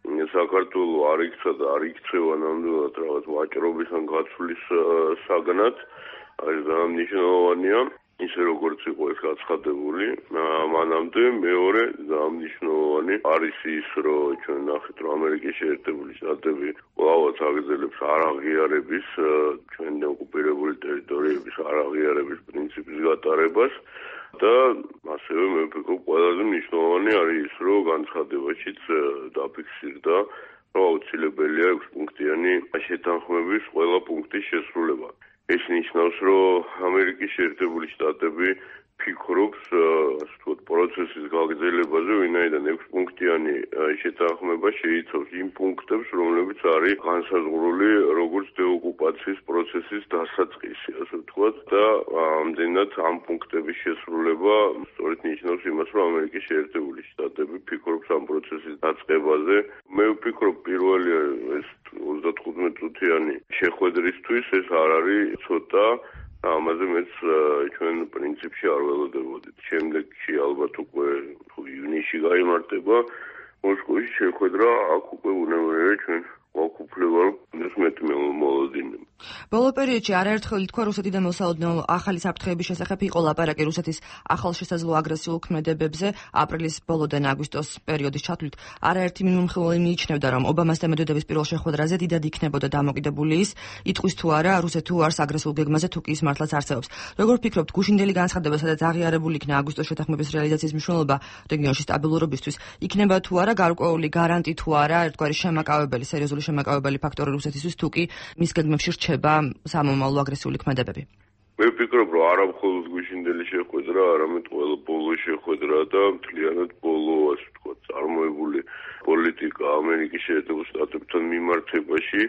[SPEAKER 6] რომ საქართველო არ იქცა და არ იქცევა ნამდვილად რაღაც ვაჭრობის ან გაცვლის საგნად. არის დამნიშნულოვანია ისე როგორც იყო ეს გაცხადებული მანამდე. მეორე დამნიშნულოვანი არის ის, რომ ჩვენ ნახეთ, რომ ამერიკის შეერთებული შტატები ყველავაც აგრძელებს არაღიარების, ჩვენ ოკუპირებული ტერიტორიების არაღიარების პრინციპის გატარებას. და ასევე მე ვფიქრობ, ყველაზე მნიშვნელოვანი არის ის, რომ განცხადებაშიც დაფიქსირდა აუცილებელია ექვს პუნქტიანი შეთანხმების ყველა პუნქტის შესრულება. ეს ნიშნავს, რომ ამერიკის შეერთებული შტატები ფიქრობს ასეთ პროცესის გაგრძელებაზე, ვინაიდან ექვს პუნქტიანი შეთანხმება შეიცავს იმ პუნქტებს, რომლებიც არის განსაზღვრული როგორც დეოკუპაციის პროცესის დასაწყისი, ასე ვთქვათ, და ამდენად ამ პუნქტების შესრულება სწორედ ნიშნავს იმას, რომ ამერიკის შეერთებული შტატები ფიქრობს ამ პროცესის დაწყებაზე. მე ვფიქრობ, პირველი ეს ოცდათხუთმეტ წუთიანი შეხვედრისთვის ეს არ არის ცოტა ამაზე მეც ჩვენ პრინციპში არ ველოდებოდით. შემდეგში ალბათ უკვე ივნისში გაიმართება მოსკოვის შეხვედრა, აქ უკვე უნებლიე ჩვენ გვაქვს უფლება ეს მეტი მოლოდინი.
[SPEAKER 17] ბოლო პერიოდში არაერთხელ ითქვა რუსეთიდან მოსალოდნელ ახალი საფრთხეების შესახებ იყო ლაპარაკი რუსეთის ახალშესაძლო აგრესიულ ქმედებებზე აპრილის ბოლოდან აგვისტოს პერიოდის ჩათვლით. არაერთი მიმომხილველი მიიჩნევდა, რომ ობამას და მედვედევის პირველ შეხვედრაზე დიდად იქნებოდა დამოკიდებული ის, იტყვის თუ არა რუსეთი უარს აგრესიულ გეგმაზე თუ კი ის მართლაც არსებობს. როგორ ფიქრობთ, გუშინდელი განცხადება, სადაც აღიარებული იქნა აგვისტოს შეთანხმების რეალიზაციის მნიშვნელობა რეგიონში სტაბილურობისთვის, იქნება თუ არა გარკვეული გარანტი თუ არა ერთგვარი შემაკავებელი, სერიოზული შემაკავებელი ფაქტორი რუსეთისთვის თუ კი მის გეგმებში რჩება სამომავლო აგრესიული ქმედებები.
[SPEAKER 6] მე ვფიქრობ, რომ არა მხოლოდ გუშინდელი შეხვედრა, არამედ ყველა ბოლო შეხვედრა და მთლიანად ბოლო, ასე ვთქვათ, წარმოებული პოლიტიკა ამერიკის შეერთებულ შტატებთან მიმართებაში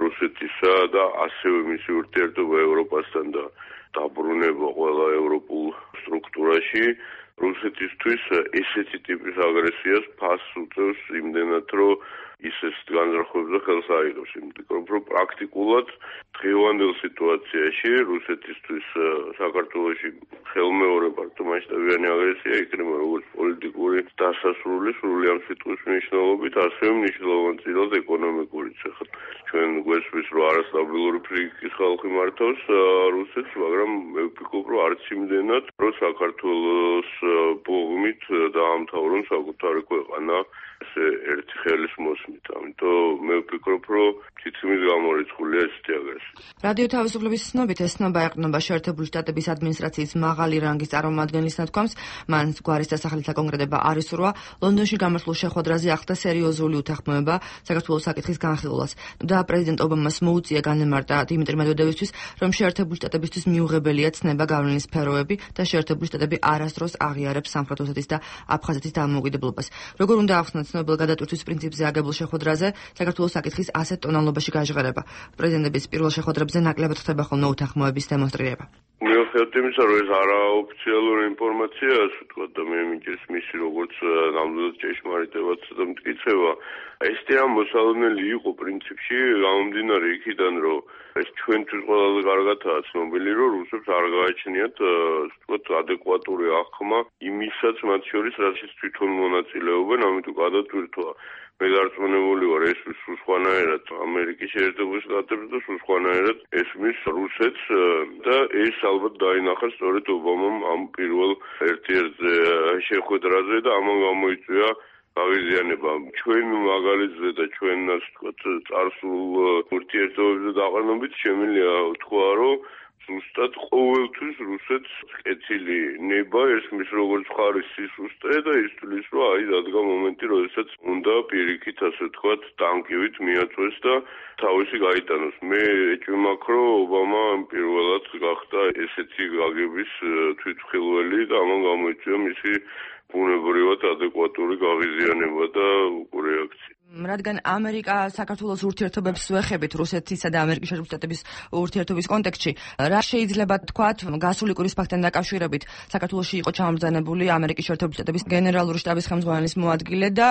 [SPEAKER 6] რუსეთისა და ასევე მისი ურთიერთობა ევროპასთან და დაბრუნება ყველა ევროპულ სტრუქტურაში რუსეთისთვის ესეთი ტიპის აგრესიას ფასს უწევს იმდენად, რომ ის ეს განზრახვებზე ხელს აიღებს. იმიტომ რომ პრაქტიკულად დღევანდელ სიტუაციაში რუსეთისთვის საქართველოში ხელმეორე პარტომასშტაბიანი აგრესია იქნება როგორც პოლიტიკური დასასრული სრული ამ სიტყვის მნიშვნელობით, ასევე მნიშვნელოვანწილად ეკონომიკურიც. ახლა ჩვენ გვესმის, რომ არასტაბილური ფრიგის ხალხი მართავს რუსეთს, მაგრამ მე ვფიქრობ, რომ არც იმდენად, რომ საქართველოს ბողმით დაამთავრონ საკუთარი ქვეყანა ესე ერთი ხელის მოსმით. ამიტომ მე ვფიქრობ, რომ თითქმის გამორიცხულია ესეთი აგრესია.
[SPEAKER 17] რადიო თავისუფლების ცნობით ეს ცნობა ეყრდნობა შეერთებული შტატების ადმინისტრაციის მაღალი რანგის წარმომადგენლის ნათქვამს, მან გვარის დასახელით აკონკრეტება არ ისურვა, ლონდონში გამართულ შეხვედრაზე ახდა სერიოზული უთანხმოება საქართველოს საკითხის განხილვას და პრეზიდენტ ობამას მოუწია განემარტა დიმიტრი მედვედევისთვის, რომ შეერთებული შტატებისთვის მიუღებელია ცნება გავლენის სფეროები და შეერთებული შტატები არასდროს აღიარებს სამხრეთ ოსეთის და აფხაზეთის დამოუკიდებლობას. როგორ უნდა ახსნათ ცნობილ გადატვირთვის პრინციპზე აგებულ შეხვედრაზე საქართველოს საკითხის ასეთ ტონალობაში გაჟღერება. პრეზიდენტების პირველ შეხვედრებზე ნაკლებად ხდება ხოლმე უთანხმოების დემონსტრირება.
[SPEAKER 6] მიუხედავად იმისა, რომ ეს არაოფიციალური ინფორმაციაა, ასე ვთქვათ, და მე მიჭირს მისი როგორც ნამდვილად ჭეშმარიტებაც და მტკიცება, ესეთი ამ მოსალოდნელი იყო პრინციპში, გამომდინარე იქიდან, რომ ეს ჩვენთვის ყველაზე კარგადაა ცნობილი, რომ რუსებს არ გააჩნიათ, ასე ვთქვათ, ადეკვატური აღქმა იმისაც მათ შორის, რასაც თვითონ მონაწილეობენ, ამიტომ გადატვირთვა მე გარწმუნებული ვარ, ეს სულ სხვანაირად ამერიკის შეერთებულ შტატებს და სულ სხვანაირად ესმის რუსეთს და ეს ალბათ დაინახა სწორედ ობამამ ამ პირველ ერთ-ერთ შეხვედრაზე და ამან გამოიწვია გაღიზიანება. ჩვენ მაგალითზე და ჩვენ ასე ვთქვათ წარსულ ურთიერთობებზე დაყრდნობით შემიძლია ვთქვა, რომ ზუსტად ყოველთვის რუსეთს კეთილი ნება ესმის როგორც ხარის სისუსტე და ისთვის რომ აი დადგა მომენტი, როდესაც უნდა პირიქით ასე ვთქვათ ტანკივით მიაწვეს და თავისი გაიტანოს. მე ეჭვმაქ, რომ ობამა პირველად გახდა ესეთი გაგების თვითმხილველი და ამან გამოიწვია მისი ბუნებრივად ადეკვატური გაღიზიანება და რეაქცია.
[SPEAKER 17] რადგან ამერიკა საქართველოს ურთიერთობებს ვეხებით რუსეთისა და ამერიკის შეერთებული შტატების ურთიერთობის კონტექსტში, რა შეიძლება თქვათ გასული კვირის ფაქტთან დაკავშირებით საქართველოში იყო ჩამბრძანებული ამერიკის შეერთებული შტატების გენერალური შტაბის ხელმძღვანელის მოადგილე და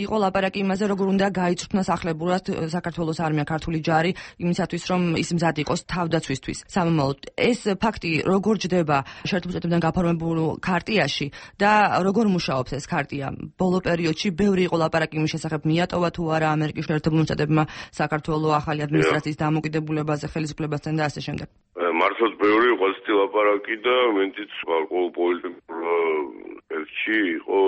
[SPEAKER 17] იყო ლაპარაკი იმაზე, როგორ უნდა გაიწვრთნას ახლებურად საქართველოს არმია, ქართული ჯარი იმისათვის, რომ ის მზად იყოს თავდაცვისთვის. სამომავლოდ ეს ფაქტი როგორ ჯდება შეერთებული შტატებიდან გაფორმებულ ქარტიაში და როგორ მუშაობს ეს ქარტია? ბოლო პერიოდში ბევრი იყო ლაპარაკი იმის შესახებ მიატოვა თუ არა ამერიკის შეერთებული შტატებმა საქართველოს ახალი ადმინისტრაციის დამოკიდებულებაზე, ხელისუფლებასთან და ასე შემდეგ.
[SPEAKER 6] მართლაც ბევრი იყო ასეთი ლაპარაკი და მენც გარკვეულ პოლიტიკურ ელჩი იყო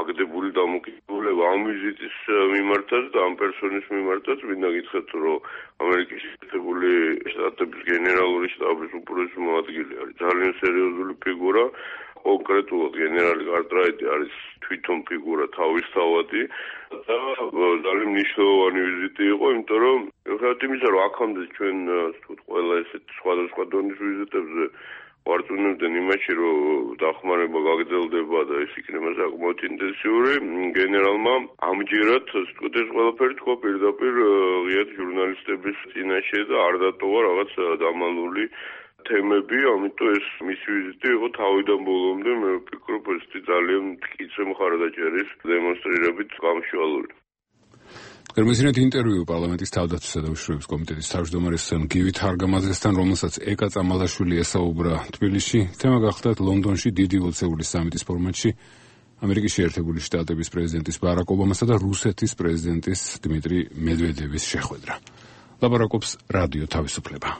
[SPEAKER 6] აგდებული დამოკიდებულება ამ ვიზიტის მიმართაც და ამ პერსონის მიმართაც. მინდა გითხრათ, რომ ამერიკის შეერთებული შტატების გენერალური შტაბის უპირველესი მოადგილე არის ძალიან სერიოზული ფიგურა. კონკრეტულად გენერალი კარტრაიტი არის თვითონ ფიგურა თავისთავადი და ძალიან მნიშვნელოვანი ვიზიტი იყო, იმიტომ რომ ხათ იმისა რომ აქამდე ჩვენ თუთ ყველა ესეთ სხვადასხვა დონის ვიზიტებზე ვარწმუნებდნენ იმაში, რომ დახმარება გაგრძელდება და ეს იქნება საკმაოდ ინტენსიური. გენერალმა ამჯერად თქო ეს ყველაფერი თქვა პირდაპირ ღიად ჟურნალისტების წინაშე და არ დატოვა რაღაც დამალული თემები, ამიტომ ეს მისი ვიზიტი იყო თავიდან ბოლომდე, მე ვფიქრობ, ეს ძალიან მტკიცე მხარდაჭერის დემონსტრირებით გამშვალული.
[SPEAKER 1] გერმანიასთან ინტერვიუ პარლამენტის თავდაცვისა და უშიშროების კომიტეტის თავმჯდომარის გივი თარგამაძესთან, რომელსაც ეკა წამალაშვილი ესაუბრა თბილისში, თემა გახლდათ ლონდონში დიდი ოცეულის სამიტის ფორმატში ამერიკის შეერთებული შტატების პრეზიდენტის ბარაკ ობამასა და რუსეთის პრეზიდენტის დიმიტრი მედვედევის შეხვედრა. ლაპარაკობს რადიო თავისუფლება.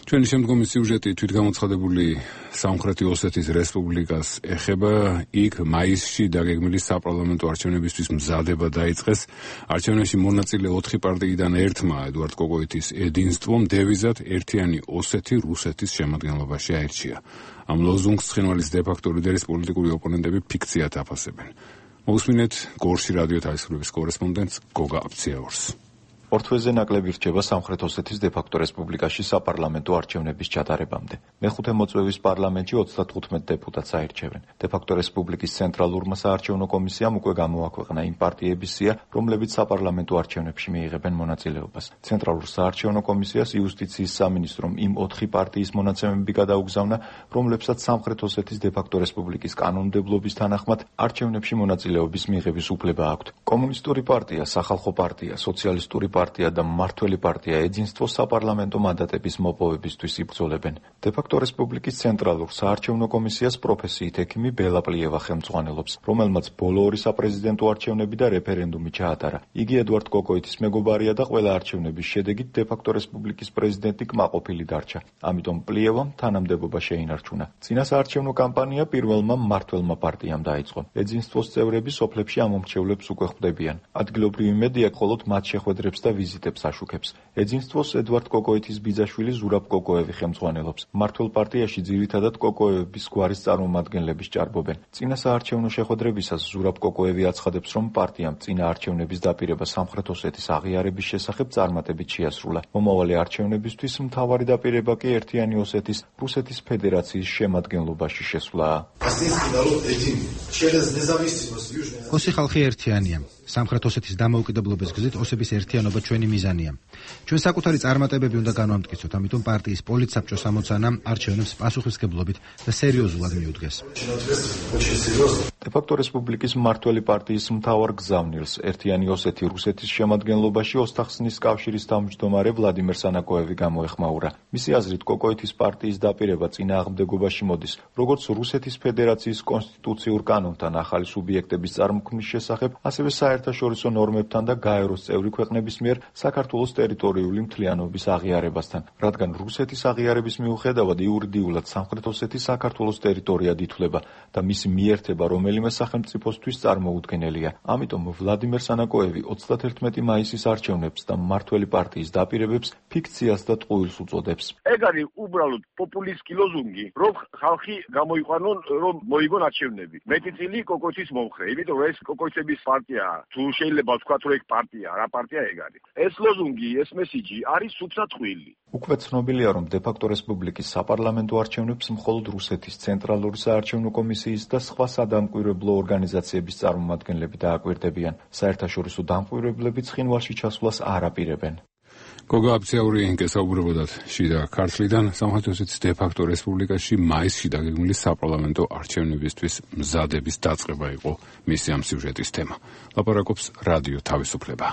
[SPEAKER 1] ჩვენი შემდგომი სიუჟეტი თვითგამოცხადებული სამხრეთი ოსეთის რესპუბლიკას ეხება. იქ მაისში დაგეგმილი საპარლამენტო არჩევნებისთვის მზადება დაიწყეს. არჩევნებში მონაწილე ოთხი პარტიიდან ერთმა ედუარდ კოკოიტის ედინსტვომ დევიზად ერთიანი ოსეთი რუსეთის შემადგენლობაში აირჩია. ამ ლოზუნგს ცხინვალის დე-ფაქტო ლიდერის პოლიტიკური ოპონენტები ფიქციად აფასებენ. მოусმინეთ გორში რადიო თავისუფლების კორესპონდენტს გოგა აბციაურს.
[SPEAKER 18] ორ თვეზე ნაკლები რჩება სამხრეთ ოსეთის დე-ფაქტო რესპუბლიკაში საპარლამენტო არჩევნების ჩატარებამდე. მეხუთე მოწვევის პარლამენტში ოცდათხუთმეტ დეპუტატს აირჩევენ. დე-ფაქტო რესპუბლიკის ცენტრალურმა საარჩევნო კომისიამ უკვე გამოაქვეყნა იმ პარტიების სია, რომლებიც საპარლამენტო არჩევნებში მიიღებენ მონაწილეობას. ცენტრალურ საარჩევნო კომისიას იუსტიციის სამინისტრომ იმ ოთხი პარტიის მონაცემები გადაუგზავნა, რომლებსაც სამხრეთ ოსეთის დე-ფაქტო რესპუბლიკის კანონმდებლობის თანახმად არჩევნებში მონაწილეობის მიღების უფლება აქვთ. კომუნისტური პარტია, სახალხო პარტია, სოციალისტური პარტია და მმართველი პარტია ეძინსტვო საპარლამენტო მანდატების მოპოვებისთვის იბრძოლებენ. დე-ფაქტო რესპუბლიკის ცენტრალურ საარჩევნო კომისიას პროფესიით ექიმი ბელა პლიევა ხელმძღვანელობს, რომელმაც ბოლო ორი საპრეზიდენტო არჩევნები და რეფერენდუმი ჩაატარა. იგი ედუარდ კოკოიტის მეგობარია და ყველა არჩევნების შედეგით დე-ფაქტო რესპუბლიკის პრეზიდენტი კმაყოფილი დარჩა. ამიტომ პლიევამ თანამდებობა შეინარჩუნა. წინა საარჩევნო კამპანია პირველმა მმართველმა პარტიამ დაიწყო. ეძინსტვოს წევრები სოფლებში ამომრჩევლებს უკვე ხვდებიან. ადგილობრივი მედია მხოლოდ მათ შეხვედრებს და ვიზიტებს აშუქებს. ეძინსტვოს ედუარდ კოკოიტის ბიძაშვილი ზურაბ კოკოევი ხელმძღვანელობს. მმართველ პარტიაში ძირითადად კოკოევების გვარის წარმომადგენლების ჭარბობენ. წინა საარჩევნო შეხვედრებისას ზურაბ კოკოევი აცხადებს, რომ პარტიამ წინა არჩევნების დაპირება სამხრეთ ოსეთის აღიარების შესახებ წარმატებით შეასრულა. მომავალი არჩევნებისთვის მთავარი დაპირება კი ერთიანი ოსეთის რუსეთის ფედერაციის შემადგენლობაში შესვლაა.
[SPEAKER 19] ოსი ხალხი ერთიანია. სამხრეთ ოსეთის დამოუკიდებლობის გზით ოსების ერთიანობა ჩვენი მიზანია. ჩვენ საკუთარი წარმატებები უნდა განვამტკიცოთ, ამიტომ პარტიის პოლიტსაბჭოს ამოცანა არჩევნებს პასუხისმგებლობით და სერიოზულად მიუდგეს.
[SPEAKER 18] დე-ფაქტო რესპუბლიკის მმართველი პარტიის მთავარ გზავნილს ერთიანი ოსეთი რუსეთის შემადგენლობაში ოსტახსნის კავშირის თავმჯდომარე ვლადიმერ სანაკოევი გამოეხმაურა. მისი აზრით კოკოიტის პარტიის დაპირება წინააღმდეგობაში მოდის, როგორც რუსეთის ფედერაციის კონსტიტუციურ კანონთან ახალი სუბიექტების წარმოქმნის შესახებ, ასევე საერთაშორისო ნორმებთან და გაეროს წევრი ქვეყნების მიერ საქართველოს ტერიტორიული მთლიანობის აღიარებასთან, რადგან რუსეთის აღიარების მიუხედავად იურიდიულად სამხრეთ ოსეთი საქართველოს ტერიტორიად ითვლება და მისი მიერთება რომელიმე სახელმწიფოსთვის წარმოუდგენელია. ამიტომ ვლადიმერ სანაკოევი ოცდათერთმეტი მაისის არჩევნებს და მმართველი პარტიის დაპირებებს ფიქციას და ტყუილს უწოდებს.
[SPEAKER 20] ეგ არის უბრალოდ პოპულისტი ლოზუნგი, რომ ხალხი გამოიყვანონ, რომ მოიგონ არჩევნები. მეტიწილი კოკოიტის მომხრე, იმიტომ რომ ეს კოკოიტების პარტია, თუ შეიძლება ვთქვათ, რომ ეგ პარტია, რა პარტია ეგ არის. ეს ლოზუნგი, ეს მესიჯი არის სუფსატყვილი.
[SPEAKER 18] უკვე ცნობილია, რომ დე-ფაქტო რესპუბლიკის საპარლამენტო არჩევნებს მხოლოდ რუსეთის ცენტრალური საარჩევნო კომისიის და სხვა სადამკვირვებლო ორგანიზაციების წარმომადგენლები დააკვირდებიან. საერთაშორისო დამკვირვებლები ცხინვალში ჩასვლას არ აპირებენ.
[SPEAKER 1] გოგა აბციაური გესაუბრებოდათ შიდა ქართლიდან. სამხრეთ ოსეთის დე-ფაქტო რესპუბლიკაში მაისში დაგეგმილი საპარლამენტო არჩევნებისთვის მზადების დაწყება იყო მისი ამ სიუჟეტის თემა. ლაპარაკობს რადიო თავისუფლება.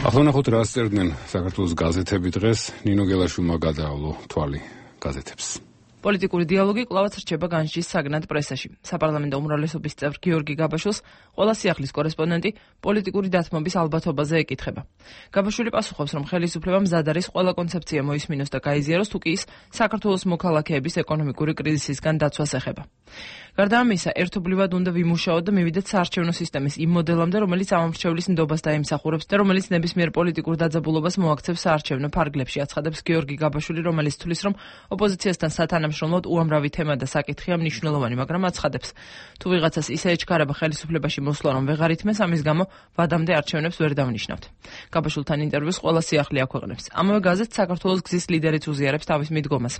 [SPEAKER 1] ახლა ნახოთ რა წერდნენ საქართველოს გაზეთები დღეს. ნინო გელაშვილმა გადაავლო თვალი გაზეთებს.
[SPEAKER 17] პოლიტიკური დიალოგი კვლავაც რჩება განსჯის საგნად პრესაში. საპარლამენტო უმრავლესობის წევრ გიორგი გაბაშვილს ყველა სიახლის კორესპონდენტი პოლიტიკური დათმობის ალბათობაზე ეკითხება. გაბაშვილი პასუხობს, რომ ხელისუფლება მზად არის ყველა კონცეფცია მოისმინოს და გაიზიაროს, თუ კი ის საქართველოს მოქალაქეების ეკონომიკური კრიზისისგან დაცვას ეხება.
[SPEAKER 21] გარდა ამისა, ერთობლივად უნდა ვიმუშაოთ და მივიდეთ საარჩევნო სისტემის იმ მოდელამდე, რომელიც ამომრჩევლის ნდობას დაიმსახურებს და რომელიც ნებისმიერ პოლიტიკურ დაძაბულობას მოაქცევს საარჩევნო ფარგლებში, აცხადებს გიორგი გაბაშვილი, რომელიც თვლის, რომ ოპოზიციასთან სათანამშრომლოდ უამრავი თემა და საკითხია მნიშვნელოვანი, მაგრამ აცხადებს, თუ ვიღაცას ისე ეჩქარება ხელისუფლებაში მოსვლა, რომ ვეღარ ითმეს, ამის გამო ვადამდე არჩევნებს ვერ დავნიშნავთ. გაბაშვილთან ინტერვიუს ყველა სიახლე აქვეყნებს. ამავე გაზეთს საქართველოს გზის ლიდერიც უზიარებს თავის მიდგომას.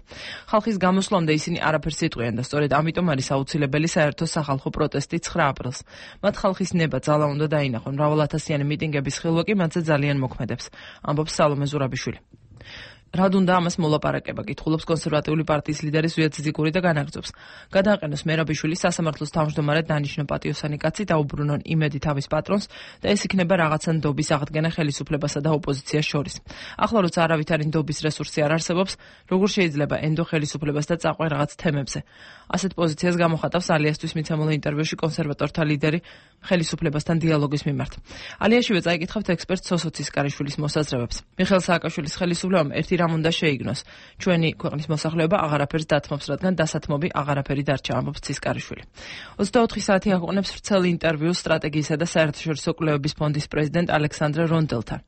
[SPEAKER 21] ხალხის გამოსვლამდე ისინი არაფერს იტყვიან და სწორედ ამიტომ არის აუცილებელი საერთო სახალხო პროტესტი ცხრა აპრილს. მათ ხალხის ნება ძალა უნდა დაინახონ, მრავალათასიანი მიტინგების ხილვა კი მათზე ძალიან მოქმედებს, ამბობს სალომე ზურაბიშვილი. რად უნდა ამას მოლაპარაკება, კითხულობს კონსერვატიული პარტიის ლიდერი ზვიად ძიგური და განაგრძობს. გადააყენოს მერაბიშვილი სასამართლოს თავმჯდომარედ დანიშნო პატიოსანი კაცი დაუბრუნონ იმედი თავის პატრონს და ეს იქნება რაღაცა ნდობის აღდგენა ხელისუფლებასა და ოპოზიციას შორის. ახლა როცა არავითარი ნდობის რესურსი არ არსებობს, როგორ შეიძლება ენდო ხელისუფლებას და წაყვე რაღაც თემებზე. ასეთ პოზიციას გამოხატავს ალიასთვის მიცემულ ინტერვიუში კონსერვატორთა ლიდერი ხელისუფლებასთან დიალოგის მიმართ. ალიაშივე წაიკითხავთ ექსპერტ სოსო ცისკარიშვილის მოსაზრებებს. მიხეილ სააკაშვილის ხელისუფლებამ ერთი რამ უნდა შეიგნოს. ჩვენი ქვეყნის მოსახლეობა აღარაფერს დათმობს, რადგან დასათმობი აღარაფერი დარჩა, ამბობს ცისკარიშვილი. ოცდაოთხი საათი აღვყნებს ვრცელ ინტერვიუს სტრატეგიისა და საერთაშორისო კვლევების ფონდის პრეზიდენტ ალექსანდრე რონდელთან.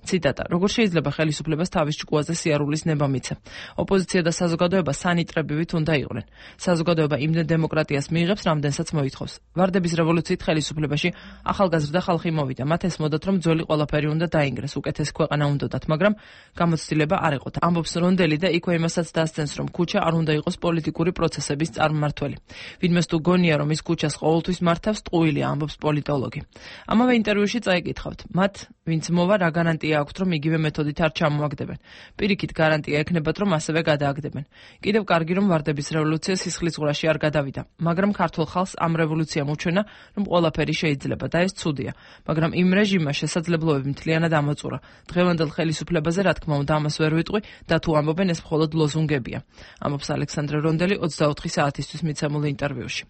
[SPEAKER 21] ციტატა: როგორ შეიძლება ხელისუფლებას თავის ჭკუაზე სიარულის ნება მიცე? ოპოზიცია და საზოგადოება სანიტრებივით უნდა იყვნენ. საზოგადოება იმდენ დემოკრატიას მიიღებს, რამდენსაც მოითხოვს. ვარდების რევოლუციით ხელისუფლებაში ახალგაზრდა ხალხი მოვიდა. მათ ესმოდათ, რომ ძველი ყველაფერი უნდა დაინგრეს, უკეთეს ქვეყანა უნდათ, მაგრამ გამოცდილება არ იყო. ამბობს რონდელი და იქვე იმასაც დასცენს, რომ ქუჩა არ უნდა იყოს პოლიტიკური პროცესების წარმმართველი. ვინმეს თუ გონია, რომ ის ქუჩას ყოველთვის მართავს, ტყუილია, ამბობს პოლიტოლოგი. ამავე ინტერვიუში წაიკითხავთ, მათ ვინც მოვა, რა გარანტია აქვთ, რომ იგივე მეთოდით არ ჩამოაგდებენ. პირიქით გარანტია ექნებათ, რომ ასევე გადააგდებენ. კიდევ კარგი, რომ ვარდების რევოლუცია სისხლისღვრაში არ გადავიდა, მაგრამ ქართულ ხალხს ამ რევოლუციამ უჩვენა, რომ ყველაფერი შეიძლება და ეს ცუდია, მაგრამ იმ რეჟიმმა შესაძლებლობები მთლიანად ამოწურა. დღევანდელ ხელისუფლებაზე, რა თქმა უნდა, ამას ვერ ვიტყვი და თუ ამბობენ, ეს მხოლოდ ლოზუნგებია, ამბობს ალექსანდრე რონდელი ოცდაოთხი საათისთვის მიცემულ ინტერვიუში.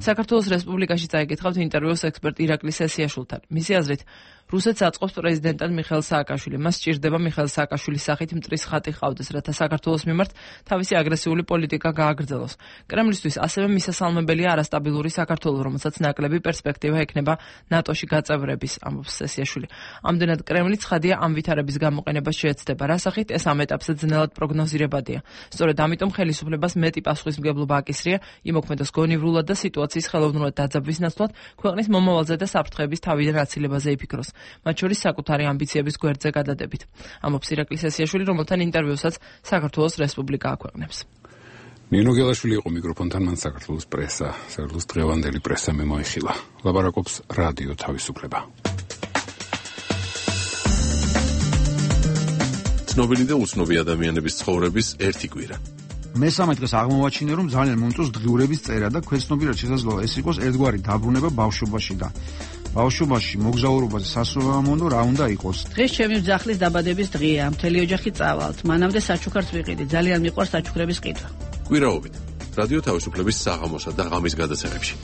[SPEAKER 21] საქართველოს რესპუბლიკაში წაიკითხავთ ინტერვიუს ექსპერტ ირაკლი სესიაშვილთან. მისი აზრით, რუსეთს აწყობს პრეზიდენტად მიხეილ სააკაშვილი. მას სჭირდება მიხეილ სააკაშვილის სახით მტრის ხატი ყავდეს, რათა საქართველოს მიმართ თავისი აგრესიული პოლიტიკა გააგრძელოს. კრემლისთვის ასევე მისასალმებელია არასტაბილური საქართველო, რომელსაც ნაკლები პერსპექტივა ექნება ნატოში გაწევრების, ამბობს სესიაშვილი. ამდენად კრემლი ცხადია ამ ვითარების გამოყენებას შეეცდება, რა სახით ეს ამ ეტაპზე ძნელად პროგნოზირებადია. სწორედ ამიტომ ხელისუფლებას მეტი პასუხისმგებლობა აკისრია იმოქმედოს გონივრულად და სიტუაციის ხელოვნურად დაძაბვის ნაცვლად ქვეყნის მომავალზე და საფრთხეების თავიდან აცილებაზე იფიქროს. მათ შორის საკუთარი ამბიციების გვერდზე გადადებით. ამბობს ირაკლი სესიაშვილი, რომელთან ინტერვიუსაც საქართველოს რესპუბლიკა აქვეყნებს.
[SPEAKER 1] ნინო გელაშვილი იყო მიკროფონთან, მან საქართველოს პრესა, საქართველოს დღევანდელი პრესა მემოიხილა. ლაპარაკობს რადიო თავისუფლება.
[SPEAKER 10] ცნობილი და უცნობი ადამიანების ცხოვრების ერთი კვირა.
[SPEAKER 22] მესამე დღეს აღმოვაჩინე, რომ ძალიან მომწონს დღიურების წერა და ქვეცნობიერად შესაძლოა ეს იყოს ერთგვარი დაბრუნება ბავშვობაში და ბავშვობაში მოგზაურობაზე სასურველმონო რა უნდა იყოს.
[SPEAKER 23] დღეს ჩემი ძახლის დაბადების დღეა, მთელი ოჯახი წავალთ. მანამდე საჩუქარს ვიყიდი, ძალიან მიყვარს საჩუქრების ყიდვა.
[SPEAKER 10] კვირაობით რადიო თავისუფლების საღამოსა და ღამის გადაცემებში.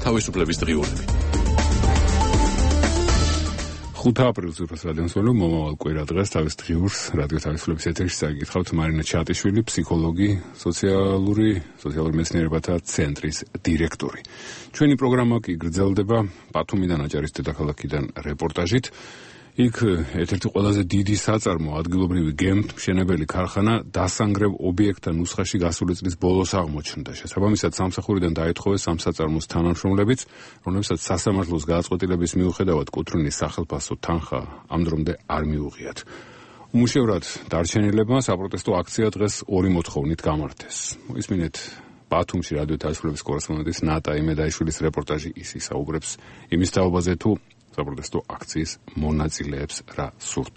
[SPEAKER 10] თავისუფლების დღიურები.
[SPEAKER 1] ხუთი აპრილის უფროს რადიოსმენო მომავალ კვირა დღეს თავის დღიურს რადიო თავისუფლების ეთერში წაიკითხავთ მარინა ჩატიშვილი, ფსიქოლოგი, სოციალური სოციალური მეცნიერებათა ცენტრის დირექტორი. ჩვენი პროგრამა კი გრძელდება ბათუმიდან, აჭარის დედაქალაქიდან რეპორტაჟით. იქ ერთ-ერთი ყველაზე დიდი საწარმო ადგილობრივი გემთმშენებელი ქარხანა დასანგრევ ობიექტთა ნუსხაში გასული წლის ბოლოს აღმოჩნდა. შესაბამისად სამსახურიდან დაეთხოვეს ამ საწარმოს თანამშრომლებიც, რომლებსაც სასამართლოს გადაწყვეტილების მიუხედავად კუთვნილის სახელფასო თანხა ამ დრომდე არ მიუღიათ. უმუშევრად დარჩენილებმა საპროტესტო აქცია დღეს ორი მოთხოვნით გამართეს. მოისმინეთ ბათუმში რადიო თავისუფლების კორესპონდენტის ნატა იმედაიშვილის რეპორტაჟი, ის ისაუბრებს იმის თაობაზე, თუ საპროტესტო აქციის მონაწილეებს რა სურთ.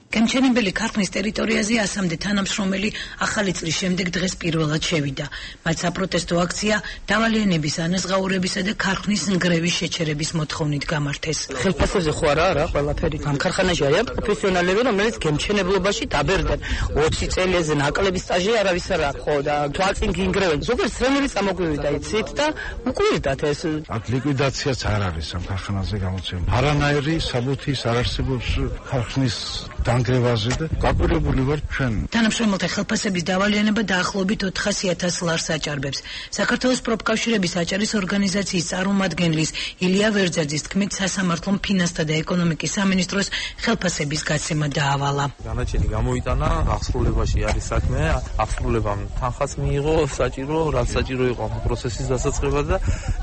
[SPEAKER 24] გემთმშენებელი ქარხნის ტერიტორიაზე ასამდე თანამშრომელი ახალი წლის შემდეგ დღეს პირველად შევიდა. მათ საპროტესტო აქცია დავალიანების ანაზღაურებისა და ქარხნის ნგრევის შეჩერების მოთხოვნით გამართეს.
[SPEAKER 23] ხელფასებზე ხო არა რა ყველაფერი. ამ ქარხანაში არიან პროფესიონალები, რომელიც გემთმშენებლობაში დაბერდნენ. ოცი წელზე ნაკლები სტაჟი არავის არ აქვს, ხო და თვალწინ გინგრევენ. ზოგადად სრემელი წამოგვივიდა იცით და უკვირდათ ეს.
[SPEAKER 16] აქ ლიკვიდაციაც არ არის ამ ქარხანაზე გამოცემული. არანაირი საბუთის არ არსებობს ქარხნის
[SPEAKER 22] განგრევაზე და გაკვირვებული ვარ ჩვენ.
[SPEAKER 24] თანამშრომელთა ხელფასების დავალიანება დაახლოებით ოთხასი ათას ლარს აჭარბებს. საქართველოს პროფკავშირების აჭარის ორგანიზაციის წარმომადგენლის ილია ვერძაძის თქმით, სასამართლომ ფინანსთა და ეკონომიკის სამინისტროს ხელფასების გაცემა დაავალა.
[SPEAKER 15] განაჩენი გამოიტანა, აღსრულებაში არის საქმე, აღსრულებამ თანხას მიიღო საჭირო, რაც საჭირო იყო ამ პროცესის დასაწყებად და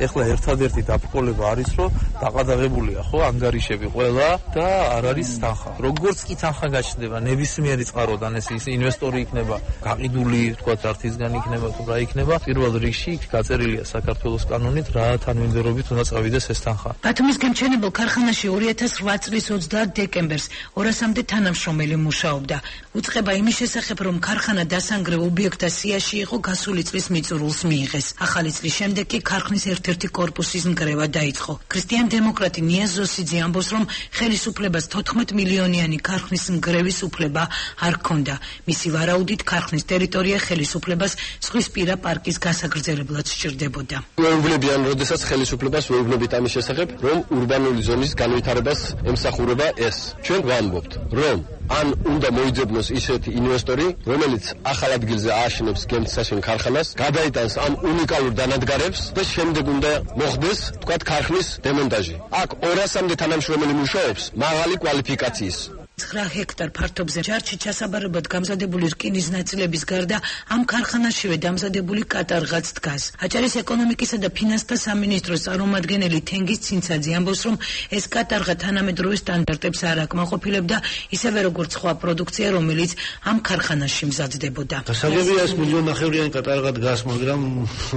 [SPEAKER 15] ეხლა ერთადერთი დაბრკოლება არის, რომ დაყადაღებულია ხო ანგარიშები ყველა და არ არის თანხა. როგორც კი თანხა გაჩნდება ნებისმიერი წყაროდან, ეს ის ინვესტორი იქნება გაყიდული, თქვა ართისგან იქნება თუ რა იქნება, პირველ რიგში გაწერილია საქართველოს კანონით რა თანმიმდევრობით უნდა წავიდეს ეს თანხა.
[SPEAKER 24] ბათუმის გემჩენებელ ქარხანაში ორი ათას ოთხ წლის ოცდაათ დეკემბერს ორასამდე თანამშრომელი მუშაობდა. უწყება იმის შესახებ, რომ ქარხანა დასანგრევ ობიექტთა სიაში იყო გასული წლის მიწურულს მიიღეს. ახალი წლის შემდეგ კი ქარხნის ერთ-ერთი კორპუსის ნგრევა დაიწყო. ქრისტიან დემოკრატი ნიაზ ზოსიძე ამბობს, რომ ხელისუფლებას თოთხმეტ მილიონიანი ქარხნის ნგრევის უფლება არ ჰქონდა. მისი ვარაუდით ქარხნის ტერიტორია ხელისუფლებას ზღვისპირა პარკის გასაგრძელებლად სჭირდებოდა.
[SPEAKER 2] ვეუბნებიან, როდესაც ხელისუფლებას ვეუბნებით ამის შესახებ, რომ ურბანული ზონის განვითარებას ემსახურება ეს. ჩვენ ვამბობთ, რომ ან უნდა მოიძებნოს ისეთი ინვესტორი, რომელიც ახალ ადგილზე ააშენებს გემთსაშენ ქარხანას, გადაიტანს ამ უნიკალურ დანადგარებს და შემდეგ უნდა მოხდეს, თქვათ, ქარხნის დემონტაჟი. აქ ორასამდე თანამშრომელი მუშაობს მაღალი კვალიფიკაციის.
[SPEAKER 24] ცხრა ჰექტარ ფართობზე ჯარში ჩასაბარებლად გამზადებული რკინის ნაწილების გარდა ამ ქარხანაშივე დამზადებული კატარღაც დგას. აჭარის ეკონომიკისა და ფინანსთა სამინისტროს წარმომადგენელი თენგიზ ცინცაძე ამბობს, რომ ეს კატარღა თანამედროვე სტანდარტებს არ აკმაყოფილებდა, ისევე როგორც სხვა პროდუქცია, რომელიც ამ ქარხანაში მზადდებოდა.
[SPEAKER 3] გასაგებია ეს მილიონნახევრიანი კატარღა დგას, მაგრამ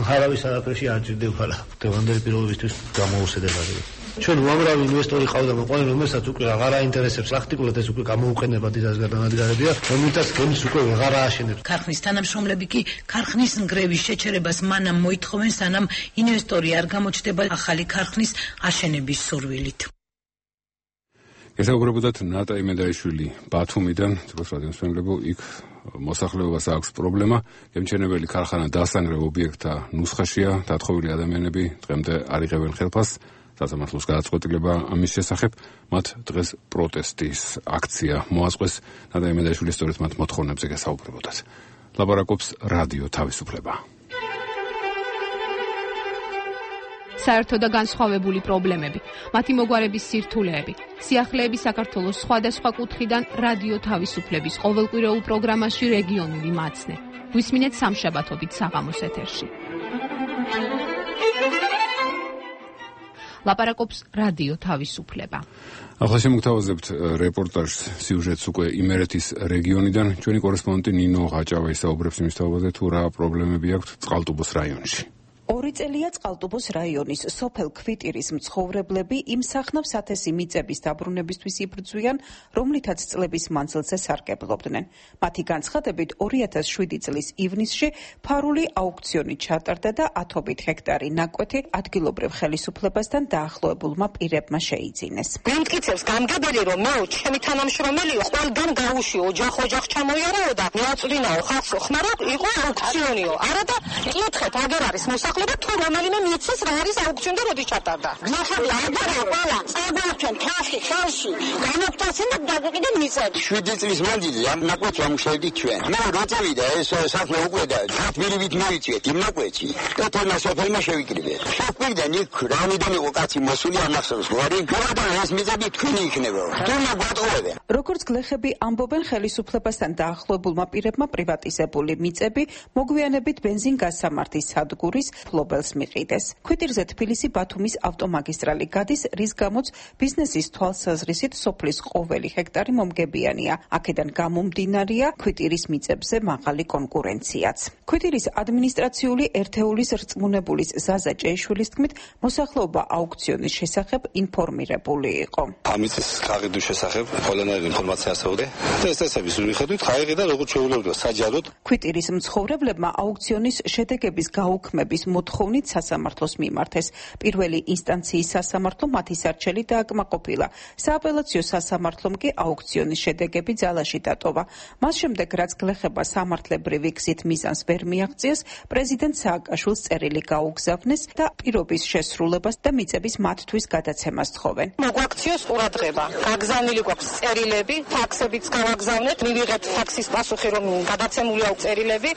[SPEAKER 3] არავის არაფერში არ ჭირდება დღევანდელი პირობებისთვის გამოუსადეგარი. ჩვენ უამრავი ინვესტორი ყავდა მოყვანილი, რომელსაც უკვე აღარ აინტერესებს პრაქტიკულად ეს უკვე გამოუყენება დიდას გადანადგარებია, რომელთაც გემს უკვე აღარ ააშენებს.
[SPEAKER 24] ქარხნის თანამშრომლები კი ქარხნის ნგრევის შეჩერებას მანამ მოითხოვენ, სანამ ინვესტორი არ გამოჩნდება ახალი ქარხნის აშენების სურვილით.
[SPEAKER 1] ესაუბრებოდათ ნატა იმედაიშვილი ბათუმიდან, როგორც რადიოს მეგობრებო, იქ მოსახლეობას აქვს პრობლემა, გემჩენებელი ქარხანა დასანგრევ ობიექტთა ნუსხაშია, დათხოვილი ადამიანები დღემდე არ იღებენ ხელფასს. სასამართლოს გადაწყვეტილება ამის შესახებ, მათ დღეს პროტესტის აქცია მოაწყვეს, ნატა იმედაიშვილი სწორედ მათ მოთხოვნებზე გასაუბრებოდათ. ლაპარაკობს რადიო თავისუფლება.
[SPEAKER 14] საერთო და განსხვავებული პრობლემები, მათი მოგვარების სირთულეები, სიახლეები საქართველოს სხვადასხვა კუთხიდან რადიო თავისუფლების ყოველკვირეულ პროგრამაში რეგიონული მაცნე. გვისმინეთ სამშაბათობით საღამოს ეთერში. ლაპარაკობს რადიო თავისუფლება.
[SPEAKER 1] ახლა შემოგთავაზებთ რეპორტაჟს სიუჟეტს უკვე იმერეთის რეგიონიდან. ჩვენი კორესპონდენტი ნინო ღაჭავა ისაუბრებს იმის თაობაზე, თუ რა პრობლემები აქვს წყალტუბოს რაიონში.
[SPEAKER 8] ორი წელია წყალტუბოს რაიონის სოფელ ქვიტირის მცხოვრებლები იმ სახნავს ათასი მიწების დაბრუნებისთვის იბრძვიან, რომლითაც წლების მანძილზე სარგებლობდნენ. მათი განცხადებით ორი ათას შვიდი წლის ივნისში ფარული აუქციონი ჩატარდა და ათობით ჰექტარი ნაკვეთი ადგილობრივ ხელისუფლებასთან დაახლოებულმა პირებმა შეიძინეს.
[SPEAKER 23] მემტკიცებს გამგებელი, რომ მე ჩემი თანამშრომელიო ყველგან გაუში ოჯახ-ოჯახ ჩამოიარაო და მეაწვდინაო ხალხს ხმარა იყო აუქციონიო. არა და კითხეთ აგერ არის მოსახლეობა თუ რომელიმე მიცეს რა არის აუქციონი და როდი ჩატარდა.
[SPEAKER 9] გნახები აღარა ყველა წაგვაჩვენ თასი ხელში განოფტასენ და დაგვიყიდე მიწები.
[SPEAKER 25] შვიდი წლის მანძილზე ამ ნაკვეთს ვამუშავებდით ჩვენ. მე როწევიდა ეს საქმე უკვე და ათმილივით მოვიწვიეთ იმ ნაკვეთში და თონა სოფელმა შევიკრიბეთ. შეგვიგდან იქ რამიდან იყო კაცი მოსული ამახსოვს გვარი გორდა ეს მიწები თქვენი იქნება. თუნა ბატონები.
[SPEAKER 8] როგორც გლეხები ამბობენ, ხელისუფლებასთან დაახლოებულმა პირებმა პრივატიზებული მიწები მოგვიანებით ბენზინ-გაზსამართის სადგურის ფლობელს მიყიდეს. ქვიტირზე თბილისი ბათუმის ავტომაგისტრალი გადის, რის გამოც ბიზნესის თვალსაზრისით სოფლის ყოველი ჰექტარი მომგებიანია. აქედან გამომდინარეა ქვიტირის მიწებზე მაღალი კონკურენციაც. ქვიტირის ადმინისტრაციული ერთეულის რწმუნებულის ზაზა ჭეიშვილის თქმით, მოსახლეობა აუქციონის შესახებ ინფორმირებული იყო.
[SPEAKER 26] ამის გაყიდვის შესახებ ყველანაირი ინფორმაცია ასწავლე და ეს წესების მიხედვით ხაიღი და როგორც შეუძლებლობა საჯაროდ.
[SPEAKER 8] ქვიტირის მცხოვრებლებმა აუქციონის შედეგების გაუქმების მოთხოვნით სასამართლოს მიმართეს. პირველი ინსტანციის სასამართლო მათი სარჩელი დააკმაყოფილა. სააპელაციო სასამართლომ კი აუქციონის შედეგები ძალაში დატოვა. მას შემდეგ, რაც გლეხება სამართლებრივი გზით მიზანს ვერ მიაღწიეს, პრეზიდენტ სააკაშვილს წერილი გაუგზავნეს და პირობის შესრულებას და მიწების მათთვის გადაცემას თხოვენ.
[SPEAKER 23] მოგვაქციოს ყურადღება. გაგზავნილი გვაქვს წერილები, ფაქსებიც გავაგზავნეთ, მივიღეთ ფაქსის პასუხი, რომ გადაცემული აქვს წერილები.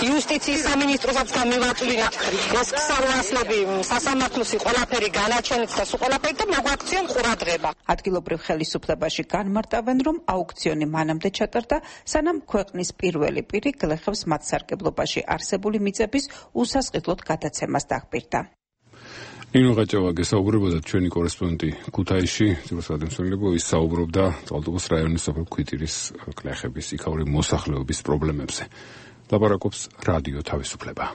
[SPEAKER 23] იუსტიციის სამინისტროსაც გამივაწვდინეთ. ეს ქსელმასლები სასამართლოსი ყველაფერი განაჩენით და სულ ყველაფერი და მოგვაქციონ ყურადღება.
[SPEAKER 8] ადგილობრივ ხელისუფლებაში განმარტავენ, რომ აუქციონი მანამდე ჩატარდა, სანამ ქვეყნის პირველი პირი გლეხებს მათ სარგებლობაში არსებული მიწების უსასყიდლოდ გადაცემას დაგპირდა.
[SPEAKER 1] ნინო გაჭავა გესაუბრებოდა ჩვენი კორესპონდენტი ქუთაისში, ძიროსადემსვენებო ის საუბრობდა წყალტუბოს რაიონის სოფელ ქვიტირის გლეხების იქაური მოსახლეობის პრობლემებზე. ლაპარაკობს რადიო თავისუფლება.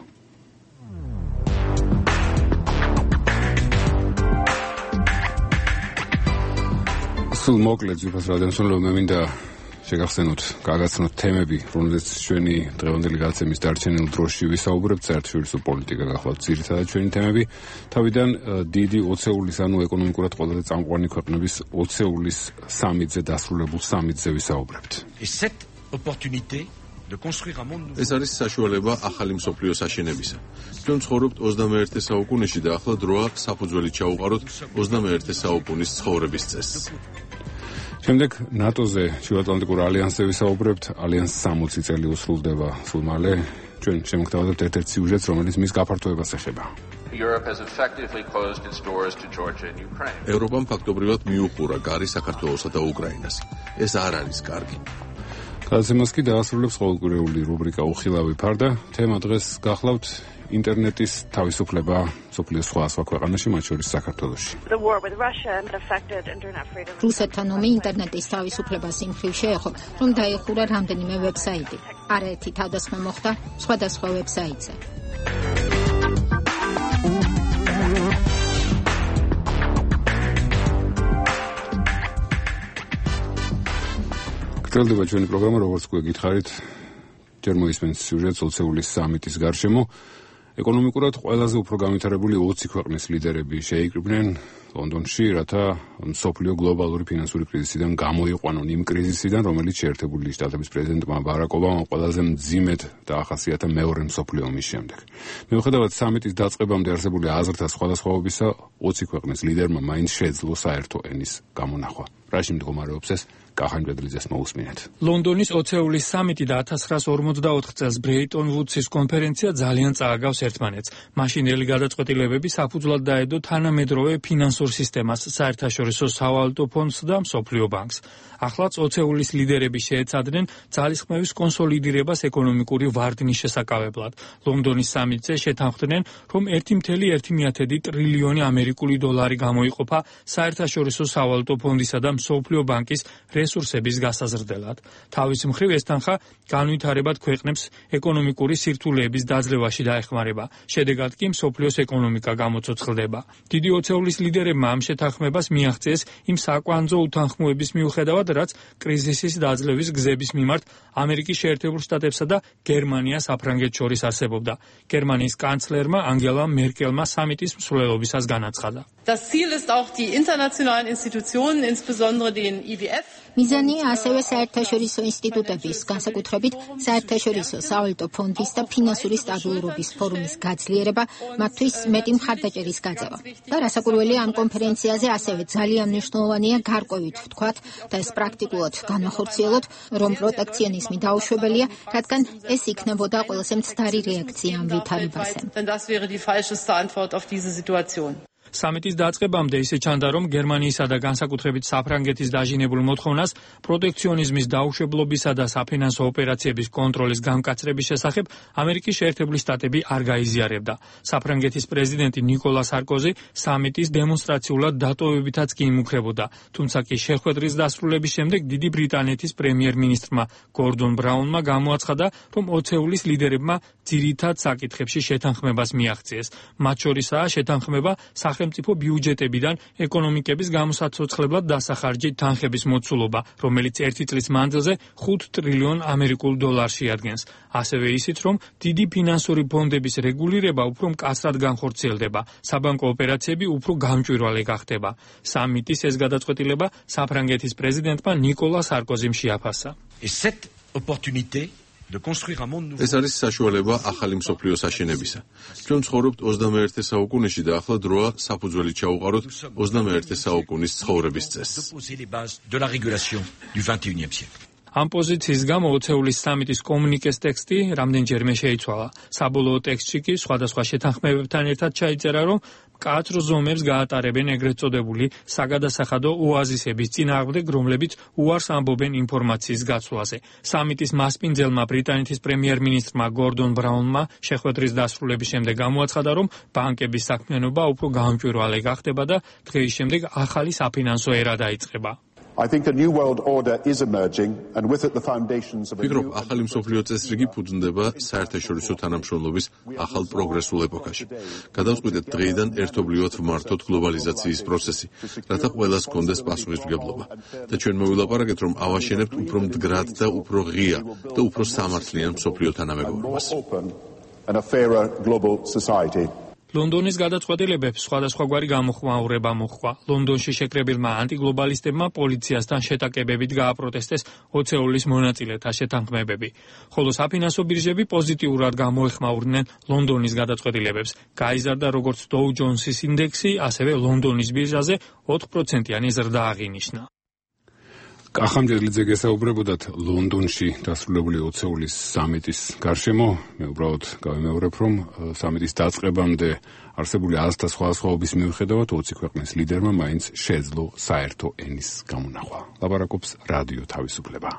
[SPEAKER 1] სულ მოკლედ ძიროსადემსვენებო მე მინდა შეგახსენოთ, გაგაცნოთ თემები, რომელზეც ჩვენი დღევანდელი გადაცემის დარჩენილ დროში ვისაუბრებთ, საერთაშორისო პოლიტიკა გახლავთ ძირითადად ჩვენი თემები. თავიდან დიდი ოცეულის, ანუ ეკონომიკურად ყველაზე წამყვანი ქვეყნების ოცეულის სამიტზე დასრულებულ სამიტზე ვისაუბრებთ.
[SPEAKER 10] ეს არის საშუალება ახალი მსოფლიოს აშენებისა. ჩვენ ცხოვრობთ ოცდამეერთე საუკუნეში და ახლა დროა საფუძველი ჩაუყაროთ ოცდამეერთე საუკუნის ცხოვრების წესს. შემდეგ ნატოზე, შუაატლანტიკურ ალიანსზე ვისაუბრებთ. ალიანსს სამოცი წელი უსრულდება სულ მალე. ჩვენ შემოგთავაზებთ ერთ-ერთ სიუჟეტს, რომელიც მის გაფართოებას ეხება. ევროპამ ფაქტობრივად მიუხურა გარი საქართველოსა და უკრაინას. ეს არ არის კარგი. გადაცემას კი დაასრულებს ყოველკვირეული რუბრიკა უხილავი ფარდა. თემა დღეს გახლავთ ინტერნეტის თავისუფლება სოფლიოს სხვა სხვა ქვეყანაში, მათ შორის საქართველოში.
[SPEAKER 4] რუსეთთან ომი ინტერნეტის თავისუფლებას იმ მხრივ შეეხო, რომ დაიხურა რამდენიმე ვებსაიტი. არაერთი თავდასხმა მოხდა სხვადასხვა ვებსაიტზე.
[SPEAKER 1] გრძელდება ჩვენი პროგრამა, როგორც უკვე გითხარით, ჯერ მოისმენთ სიუჟეტს ოცეულის სამიტის გარშემო. ეკონომიკურად ყველაზე უფრო განვითარებული ოცი ქვეყნის ლიდერები შეიკრიბნენ ლონდონში, რათა მსოფლიო გლობალური ფინანსური კრიზისიდან გამოიყვანონ, იმ კრიზისიდან, რომელიც შეერთებული შტატების პრეზიდენტმა ბარაკ ობამამ ყველაზე მძიმედ დაახასიათა მეორე მსოფლიო ომის შემდეგ. მიუხედავად სამიტის დაწყებამდე არსებული აზრთა სხვადასხვაობისა, ოცი ქვეყნის ლიდერმა მაინც შეძლო საერთო ენის გამონახვა. რაში მდგომარეობს ეს? კახან ბედლიძეს მოусმინეთ.
[SPEAKER 5] ლონდონის ოცეულის სამიტი და ათას ცხრაას ორმოცდაოთხ წელს ბრეიტონ ვუდსის კონფერენცია ძალიან წააგავს ერთმანეთს. მაშინდელი გადაწყვეტილებები საფუძვლად დაედო თანამედროვე ფინანსურ სისტემას, საერთაშორისო სავალუტო ფონდს და მსოფლიო ბანკს. ახლაც ოცეულის ლიდერები შეეცადნენ ძალისხმევის კონსოლიდირებას ეკონომიკური ვარდნის შესაკავებლად. ლონდონის სამიტზე შეთანხმდნენ, რომ ერთი კoma ერთი ტრილიონი ამერიკული დოლარი გამოიყოფა საერთაშორისო სავალუტო ფონდისა და მსოფლიო ბანკის რესურსების გასაზრდელად. თავის მხრივ ეს თანხა განვითარებად ქვეყნებს ეკონომიკური სირთულეების დაძლევაში დაეხმარება. შედეგად კი მსოფლიოს ეკონომიკა გამოცოცხლდება. დიდი ოცეულის ლიდერებმა ამ შეთანხმებას მიაღწიეს იმ საკვანძო უთანხმოების მიუხედავად, რაც კრიზისის დაძლევის გზების მიმართ ამერიკის შეერთებულ შტატებსა და გერმანიას საფრანგეთს შორის არსებობდა. გერმანიის კანცლერმა ანგელა მერკელმა სამიტის მსვლელობისას განაცხადა.
[SPEAKER 7] Das Ziel ist auch die internationalen Institutionen, insbesondere den I W F.
[SPEAKER 4] მიზანია ასევე საერთაშორისო ინსტიტუტების, განსაკუთრებით საერთაშორისო სავალუტო ფონდის და ფინანსური სტაბილურობის ფორუმის გაძლიერება, მათთვის მეტი მხარდაჭერის გაწევა. და რასაკვირველია, ამ კონფერენციაზე ასევე ძალიან მნიშვნელოვანია გარკვევით ვთქვათ და ეს პრაქტიკულად განახორციელოთ, რომ პროტექციონიზმი დაუშვებელია, რადგან ეს იქნებოდა ყველაზე მცდარი რეაქცია ამ ვითარებაზე.
[SPEAKER 7] Denn das wäre die falscheste Antwort auf diese Situation.
[SPEAKER 5] სამიტის დაწყებამდე ისე ჩანდა, რომ გერმანიისა და განსაკუთრებით საფრანგეთის დაჟინებულ მოთხოვნას პროტექციონიზმის დაუშვებლობისა და საფინანსო ოპერაციების კონტროლის გამკაცრების შესახებ ამერიკის შეერთებული შტატები არ გაიზიარებდა. საფრანგეთის პრეზიდენტი ნიკოლა სარკოზი სამიტის დემონსტრაციულად დატოვებითაც კი იმუქრებოდა, თუმცა კი შეხვედრის დასრულების შემდეგ დიდი ბრიტანეთის პრემიერ-მინისტრმა გორდონ ბრაუნმა გამოაცხადა, რომ ოცეულის ლიდერებმა ძირითად საკითხებში შეთანხმებას მიაღწიეს. მათ შორისაა შეთანხმება სახელმწიფო ბიუჯეტებიდან ეკონომიკების გამოსაცოცხლებლად დასახარჯი თანხების მოცულობა, რომელიც ერთი წლის მანძილზე ხუთ ტრილიონ ამერიკულ დოლარს შეადგენს. ასევე ისიც, რომ დიდი ფინანსური ფონდების რეგულირება უფრო მკაცრად განხორციელდება, საბანკო ოპერაციები უფრო გამჭვირვალე გახდება. სამიტის ეს გადაწყვეტილება საფრანგეთის პრეზიდენტმა ნიკოლა სარკოზიმ შეაფასა.
[SPEAKER 10] ეს არის საშუალება ახალი მსოფლიოს აშენებისა. ჩვენ ცხოვრობთ ოცდამეერთე საუკუნეში და ახლა დროა საფუძველი ჩაუყაროთ ოცდამეერთე საუკუნის ცხოვრების წესს.
[SPEAKER 5] ამ პოზიციის გამო ოცეულის სამიტის კომუნიკეს ტექსტი რამდენჯერმე შეიცვალა. საბოლოო ტექსტში კი სხვადასხვა შეთანხმებებთან ერთად ჩაიწერა, რომ მკაცრ ზომებს გაატარებენ ეგრეთ წოდებული საგადასახადო ოაზისების წინააღმდეგ, რომლებიც უარს ამბობენ ინფორმაციის გაცვლაზე. სამიტის მასპინძელმა ბრიტანეთის პრემიერ-მინისტრმა გორდონ ბრაუნმა შეხვედრის დასრულების შემდეგ გამოაცხადა, რომ ბანკების საქმიანობა უფრო გამჭვირვალე გახდება და დღეის შემდეგ ახალი საფინანსო ერა დაიწყება.
[SPEAKER 10] ვფიქრობ, ახალი მსოფლიო წესრიგი ფუძნდება საერთაშორისო თანამშრომლობის ახალ პროგრესულ ეპოქაში. გადავწყვიტეთ დღეიდან ერთობლივად ვმართოთ გლობალიზაციის პროცესი, რათა ყველას ჰქონდეს პასუხისმგებლობა. და ჩვენ მოვილაპარაკეთ, რომ ავაშენებთ უფრო მდგრად და უფრო ღია და უფრო სამართლიან მსოფლიო თანამეგობრობას.
[SPEAKER 5] ლონდონის გადაწყვეტილებებს სხვადასხვაგვარი გამოხმაურება მოჰყვა. ლონდონში შეკრებილმა ანტიგლობალისტებმა პოლიციასთან შეტაკებებით გააპროტესტეს ოცეულის მონაწილეთა შეთანხმებები. ხოლო საფინანსო ბირჟები პოზიტიურად გამოეხმაურნენ ლონდონის გადაწყვეტილებებს. გაიზარდა როგორც დოუ ჯონსის ინდექსი, ასევე ლონდონის ბირჟაზე ოთხ პროცენტიანი ზრდა აღინიშნა.
[SPEAKER 1] კახამჯერლიძე გესაუბრებოდათ ლონდონში დასრულებული ოცეულის სამიტის გარშემო. მე უბრალოდ გავიმეორებ, რომ სამიტის დაწყებამდე არსებული აზრთა სხვადასხვაობის მიუხედავად ოცი ქვეყნის ლიდერმა მაინც შეძლო საერთო ენის გამონახვა. ლაპარაკობს რადიო თავისუფლება.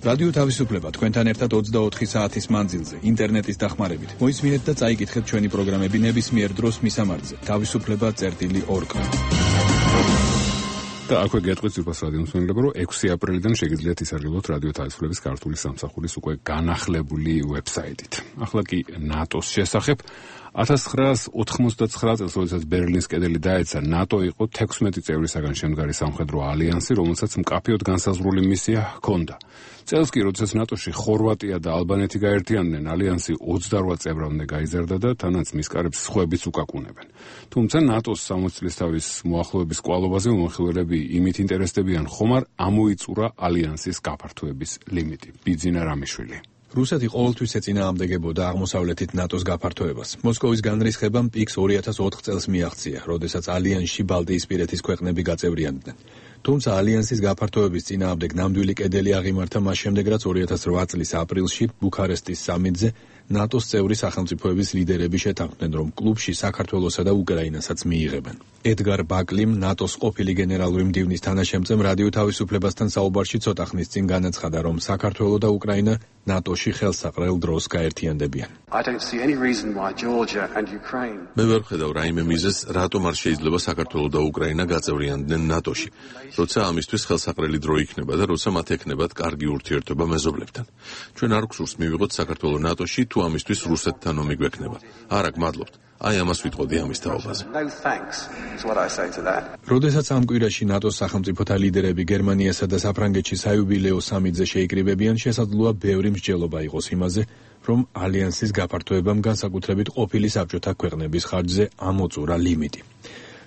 [SPEAKER 6] რადიო თავისუფლება თქვენთან ერთად ოცდაოთხი საათის მანძილზე ინტერნეტის დახმარებით. მოისმინეთ და წაიკითხეთ ჩვენი პროგრამები ნებისმიერ დროს მისამართზე თავისუფლება წერტილი ორგ.
[SPEAKER 1] და აქვე გეტყვით ძირფას რადიო მსმენელებო, რომ ექვსი აპრილიდან შეგიძლიათ ისარგებლოთ რადიო თავისუფლების ქართული სამსახურის უკვე განახლებული ვებსაიტით. ახლა კი ნატოს შესახებ. ათას ცხრაას ოთხმოცდაცხრა წელს, როდესაც ბერლინის კედელი დაეცა, ნატო იყო თექვსმეტი წევრისაგან შემდგარი სამხედრო ალიანსი, რომელსაც მკაფიოდ განსაზღვრული მისია ჰქონდა. წელს კი, როდესაც ნატოში ხორვატია და ალბანეთი გაერთიანდნენ, ალიანსი ოცდარვა წევრამდე გაიზარდა და თანაც მის კარებს სხვაებიც უკაკუნებენ. თუმცა ნატოს სამოცი წლისთავის მოახლოების კვალობაზე მომხილველები იმით ინტერესდებიან, ხომ არ ამოიწურა ალიანსის გაფართოების ლიმიტი. ბიძინა რამიშვილი.
[SPEAKER 6] რუსეთი ყოველთვის ეწინააღმდეგებოდა აღმოსავლეთით ნატოს გაფართოებას. მოსკოვის განრისხებამ პიკს ორი ათას ოთხ წელს მიაღწია, როდესაც ალიანსში ბალტიისპირეთის ქვეყნები გაწევრიანდნენ. თუმცა ალიანსის გაფართოების წინააღმდეგ ნამდვილი კედელი აღიმართა მას შემდეგ, რაც ორი ათას რვა წლის აპრილში ბუქარესტის სამიტზე ნატოს წევრი სახელმწიფოების ლიდერები შეთანხმდნენ, რომ კლუბში საქართველოსა და უკრაინასაც მიიღებენ. ედგარ ბაკლიმ, ნატოს ყოფილი გენერალური მდივნის თანაშემწემ, რადიო თავისუფლებასთან საუბარში ცოტა ხნის წინ განაცხადა, რომ საქართველო და უკრაინა ნატოში ხელსაყრელ დროს გაერთიანდებიან.
[SPEAKER 10] მე ვერ ვხედავ რაიმე მიზეზს, რატომ არ შეიძლება საქართველო და უკრაინა გაწევრიანდნენ ნატოში, როცა ამისთვის ხელსაყრელი დრო იქნება და როცა მათ ექნებათ კარგი ურთიერთობა მეზობლებთან. ჩვენ არ გვსურს მივიღოთ საქართველო ნატოში, თუ ამისთვის რუსეთთან ომი გვექნება. არა, გმადლობთ. აი ამას ვიტყოდი ამის თაობაზე.
[SPEAKER 6] როდესაც ამ კვირაში ნატოს სახელმწიფოთა ლიდერები გერმანიასა და საფრანგეთში საიუბილეო სამიტზე შეიკრიბებიან, შესაძლოა ბევრი მსჯელობა იყოს იმაზე, რომ ალიანსის გაფართოებამ განსაკუთრებით ყოფილი საბჭოთა ქვეყნების ხარჯზე ამოწურა ლიმიტი.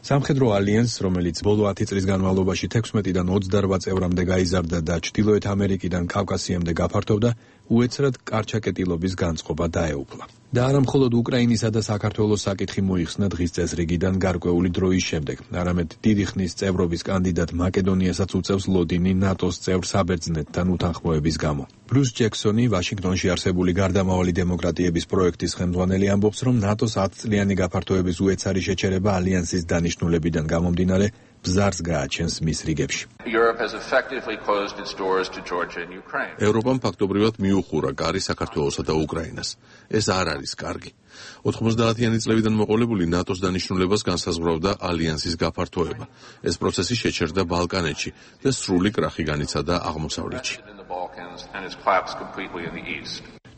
[SPEAKER 6] სამხედრო ალიანსს, რომელიც ბოლო ათი წლის განმავლობაში თექვსმეტიდან ოცდარვა წევრამდე გაიზარდა და ჩრდილოეთ ამერიკიდან კავკასიამდე გაფართოვდა, უეცრად კარჩაკეტილობის განწყობა დაეუფლა. და არა მხოლოდ უკრაინისა და საქართველოს საკითხი მოიხსნა დღის წესრიგიდან გარკვეული დროის შემდეგ, არამედ დიდი ხნის წევრობის კანდიდატ მაკედონიასაც უწევს ლოდინი ნატოს წევრ საბერძნეთთან უთანხმოების გამო. ბრუს ჯექსონი, ვაშინგტონში არსებული გარდამავალი დემოკრატიების პროექტის ხელმძღვანელი, ამბობს, რომ ნატოს ათწლიანი გაფართოების უეცარი შეჩერება ალიანსის დანიშნულებიდან გამომდინარე ბზარს გააჩენს მის რიგებში.
[SPEAKER 10] ევროპამ ფაქტობრივად მიუხურა კარი საქართველოსა და უკრაინას. ეს არ არის კარგი. ოთხმოცდაათიანი წლებიდან მოყოლებული ნატოს დანიშნულებას განსაზღვრავდა ალიანსის გაფართოება. ეს პროცესი შეჩერდა ბალკანეთში და სრული კრახი განიცადა აღმოსავლეთში.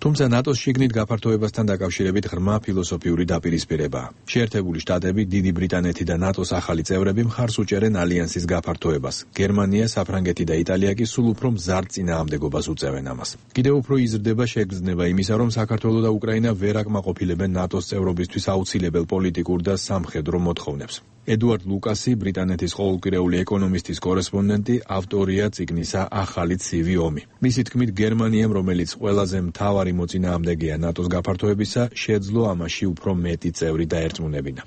[SPEAKER 6] თუმცა ნატოს შიგნით გაფართოებასთან დაკავშირებით ღრმა ფილოსოფიური დაპირისპირებაა. შეერთებული შტატები, დიდი ბრიტანეთი და ნატოს ახალი წევრები მხარს უჭერენ ალიანსის გაფართოებას. გერმანია, საფრანგეთი და იტალია კი სულ უფრო მზარდ წინააღმდეგობას უწევენ ამას. კიდევ უფრო იზრდება შეგრძნება იმისა, რომ საქართველო და უკრაინა ვერ აკმაყოფილებენ ნატოს წევრობისთვის აუცილებელ პოლიტიკურ და სამხედრო მოთხოვნებს. ედუარდ ლუკასი, ბრიტანეთის ყოველკვირეული ეკონომისტის კორესპონდენტი, ავტორია წიგნისა ახალი ცივი ომი. მისი თქმით, გერმანიამ, რომელიც ყველაზე მთავარი მოწინააღმდეგეა ნატოს გაფართოებისა, შეძლო ამაში უფრო მეტი წევრი დაერწმუნებინა.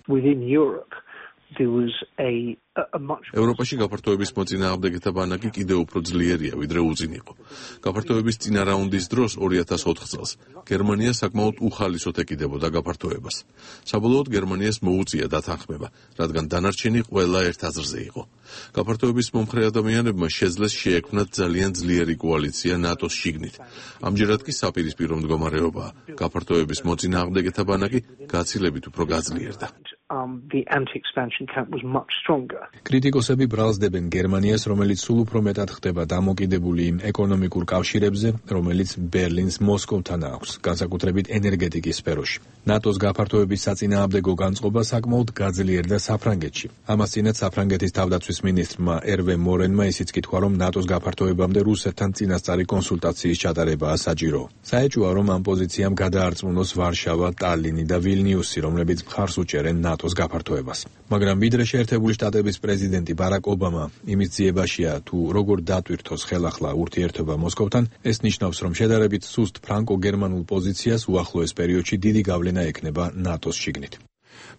[SPEAKER 10] ევროპაში გაფართოების მოწინააღმდეგეთა ბანაკი კიდევ უფრო ძლიერია, ვიდრე უძინ იყო. გაფართოების წინა რაუნდის დროს ორი ათას ოთხ წელს გერმანია საკმაოდ უხალისოდ ეკიდებოდა გაფართოებას. საბოლოოდ გერმანიას მოუწია დათანხმება, რადგან დანარჩენი ყველა ერთ აზრზე იყო. გაფართოების მომხრე ადამიანებმა შეძლეს შეექმნათ ძალიან ძლიერი კოალიცია ნატოს შიგნით. ამჯერად კი საპირისპირო მდგომარეობაა. გაფართოების მოწინააღმდეგეთა ბანაკი გაცილებით უფრო გაძლიერდა.
[SPEAKER 6] კრიტიკოსები ბრალსდებენ გერმანიას, რომელიც სულ უფრო მეტად ხდება დამოკიდებული იმ ეკონომიკურ კავშირებზე, რომელიც ბერლინს მოსკოვთან აქვს, განსაკუთრებით ენერგეტიკის სფეროში. ნატოს გაფართოების საწინააღმდეგო განწყობა საკმაოდ გაძლიერდა საფრანგეთში. ამას წინათ საფრანგეთის თავდაცვის მინისტრმა ერვე მორენმა ისიც კითხვა, რომ ნატოს გაფართოებამდე რუსეთთან წინასწარი კონსულტაციის ჩატარებაა საჭირო. საეჭვოა, რომ ამ პოზიციამ გადაარწმუნოს ვარშავა, ტალინი და ვილნიუსი, რომლებიც მხარს უჭერენ ნატოს გაფართოებას. მაგრამ ვიდრე შეერთებული შტატების პრეზიდენტი ბარაკ ობამა იმის ძიებაშია, თუ როგორ დატვირთოს ხელახლა ურთიერთობა მოსკოვთან, ეს ნიშნავს, რომ შედარებით სუსტ ფრანკო-გერმანულ პოზიციას უახლოეს პერიოდში დიდი გავლენა ექნება ნატოს შიგნით.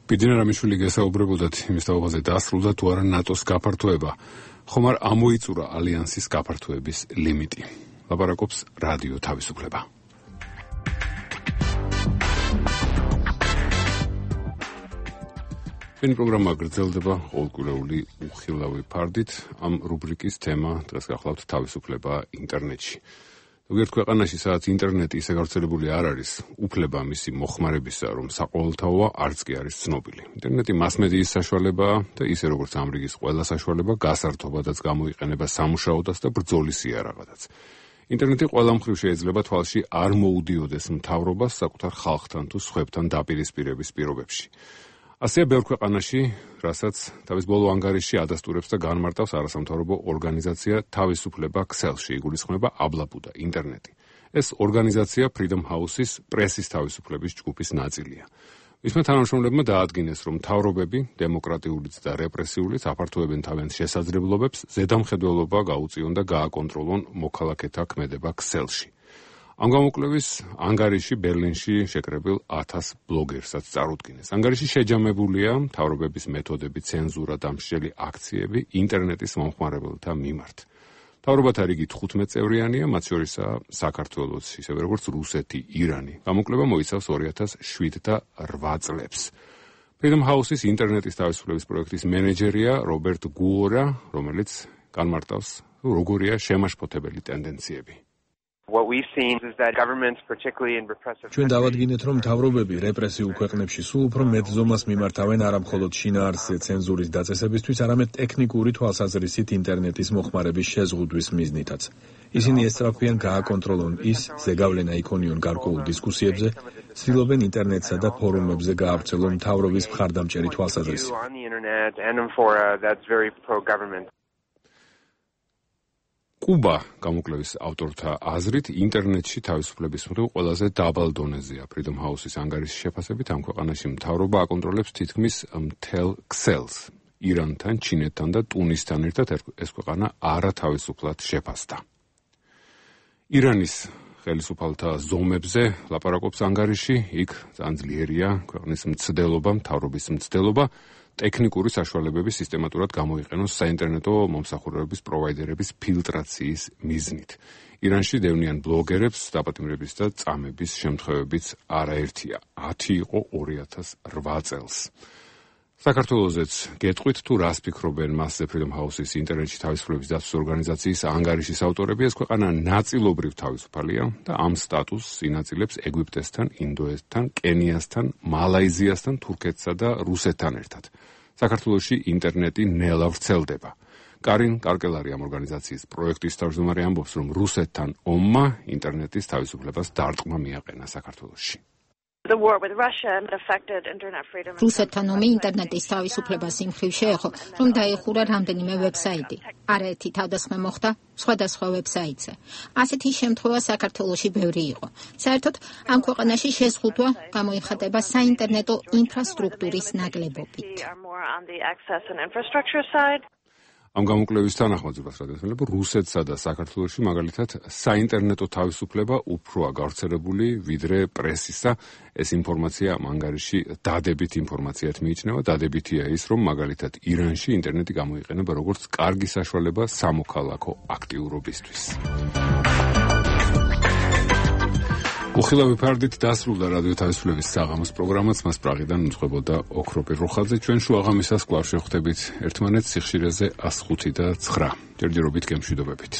[SPEAKER 1] ბიძინა რამიშვილი გესაუბრებოდათ იმის თაობაზე, დასრულდა თუ არა ნატოს გაფართოება, ხომ არ ამოიწურა ალიანსის გაფართოების ლიმიტი. ლაპარაკობს რადიო თავისუფლება. ეს პროგრამა გრძელდება ყოველკვირეული უხილავი ფარდით. ამ რუბრიკის თემა დღეს გახლავთ თავისუფლება ინტერნეტში. ზოგიერთ ქვეყანაში, სადაც ინტერნეტი ისე გავრცელებული არ არის, უფლება მისი მოხმარებისა, რომ საყოველთაოა, არც კი არის ცნობილი. ინტერნეტი მასმედიის საშუალებაა და ისე როგორც ამ რიგის ყველა საშუალება, გასართობადაც გამოიყენება სამუშაოდაც და ბრძოლის იარაღადაც. ინტერნეტი ყველა მხრივ შეიძლება თვალში არ მოუდიოდეს მთავრობას საკუთარ ხალხთან თუ სხვებთან დაპირისპირების პირობებში. ასეა ბევრ ქვეყანაში, რასაც თავის ბოლო ანგარიში ადასტურებს და განმარტავს არასამთავრობო ორგანიზაცია თავისუფლება ქსელში, იგულისხმება აბლაბუდა ინტერნეტი. ეს ორგანიზაცია Freedom House-ის პრესის თავისუფლების ჯგუფის ნაწილია. მისმა თანამშრომლებმა დაადგინეს, რომ მთავრობები, დემოკრატიულიც და რეპრესიულიც აფართოებენ თავიანთ შესაძლებლობებს, ზედამხედველობა გაუწიონ და გააკონტროლონ მოქალაქეთა ქმედება ქსელში. ამ გამოკვლევის ანგარიში ბერლინში შეკრებილ ათას ბლოგერსაც წარუდგინეს. ანგარიში შეჯამებულია მთავრობების მეთოდები, ცენზურა და მსჯელი აქციები ინტერნეტის მომხმარებელთა მიმართ. მთავრობათა რიგი თხუთმეტ წევრიანია, მათ შორისაა საქართველოც, ისევე როგორც რუსეთი, ირანი. გამოკვლევა მოიცავს ორი ათას შვიდ და რვა წლებს. Freedom House-ის ინტერნეტის თავისუფლების პროექტის მენეჯერია რობერტ გუორა, რომელიც განმარტავს, როგორია შემაშფოთებელი ტენდენციები.
[SPEAKER 6] ჩვენ დავადგინეთ, რომ მთავრობები რეპრესიულ ქვეყნებში სულ უფრო მეტ ზომას მიმართავენ არამხოლოდ შინაარსზე ცენზურის დაწესებისთვის, არამედ ტექნიკური თვალსაზრისით ინტერნეტის მოხმარების შეზღუდვის მიზნითაც. ისინი ესწრაფვიან გააკონტროლონ ის, ზეგავლენა იქონიონ გარკვეულ დისკუსიებზე, ცდილობენ ინტერნეტსა და ფორუმებზე გაავრცელონ მთავრობის მხარდამჭერი თვალსაზრისი. კუბა, გამოკვლევის ავტორთა აზრით, ინტერნეტში თავისუფლების მხრივ ყველაზე დაბალ დონეზეა. Freedom House-ის ანგარიშის შეფასებით, ამ ქვეყანაში მთავრობა აკონტროლებს თითქმის მთელ ქსელს. ირანთან, ჩინეთთან და ტუნისთან ერთად ეს ქვეყანა არათავისუფლად შეფასდა. ირანის ხელისუფალთა ზომებზე ლაპარაკობს ანგარიში, იქ ძალიან ძლიერია ქვეყნის მცდელობა, მთავრობის მცდელობა, ტექნიკური საშუალებების სისტემატურად გამოიყენოს საინტერნეტო მომსახურებების პროვაიდერების ფილტრაციის მიზნით. ირანში დევნიან ბლოგერებს დაპატიმრების და წამების შემთხვევებიც არაერთია. ათი იყო ორი ათას რვა წელს. საქართველოსაც გეტყვით, თუ რას ფიქრობენ მასზე Freedom House-ის ინტერნეტში თავისუფლების დაცვის ორგანიზაციის ანგარიშის ავტორები. ეს ქვეყანა ნაწილობრივ თავისუფალია და ამ სტატუსს ინაწილებს ეგვიპტესთან, ინდოეთთან, კენიასთან, მალაიზიასთან, თურქეთსა და რუსეთთან ერთად. საქართველოში ინტერნეტი ნელა ვრცელდება.
[SPEAKER 1] კარინ კარკელარი ამ ორგანიზაციის პროექტის თავმჯდომარე ამბობს, რომ რუსეთთან ომმა ინტერნეტის თავისუფლებას დარტყმა მიაყენა საქართველოში.
[SPEAKER 4] რუსეთთან ომი ინტერნეტის თავისუფლებას იმ მხრივ შეეხო, რომ დაიხურა რამდენიმე ვებსაიტი. არაერთი თავდასხმა მოხდა სხვადასხვა ვებსაიტზე. ასეთი შემთხვევა საქართველოში ბევრი იყო. საერთოდ ამ ქვეყანაში შეზღუდვა გამოიხატება საინტერნეტო ინფრასტრუქტურის ნაკლებობით.
[SPEAKER 1] ამ გამოკვლევის თანახმად რადიოსმენლებო, რუსეთსა და საქართველოში მაგალითად საინტერნეტო თავისუფლება უფროა გავრცელებული ვიდრე პრესისა. ეს ინფორმაცია მანგარიში დადებით ინფორმაციად მიიჩნევა. დადებითია ის, რომ მაგალითად ირანში ინტერნეტი გამოიყენება როგორც კარგი საშუალება სამოქალაქო აქტიურობისთვის. უხილავი ფარდით დასრულდა რადიო თავისუფლების საღამოს პროგრამაც, მას პრაღიდან უძღვებოდა ოქრო პიროხაძე. ჩვენ შუაღამისას კვლავ შევხვდებით ერთმანეთს სიხშირეზე ას ხუთი და ცხრა. ჯერჯერობით გემშვიდობებით.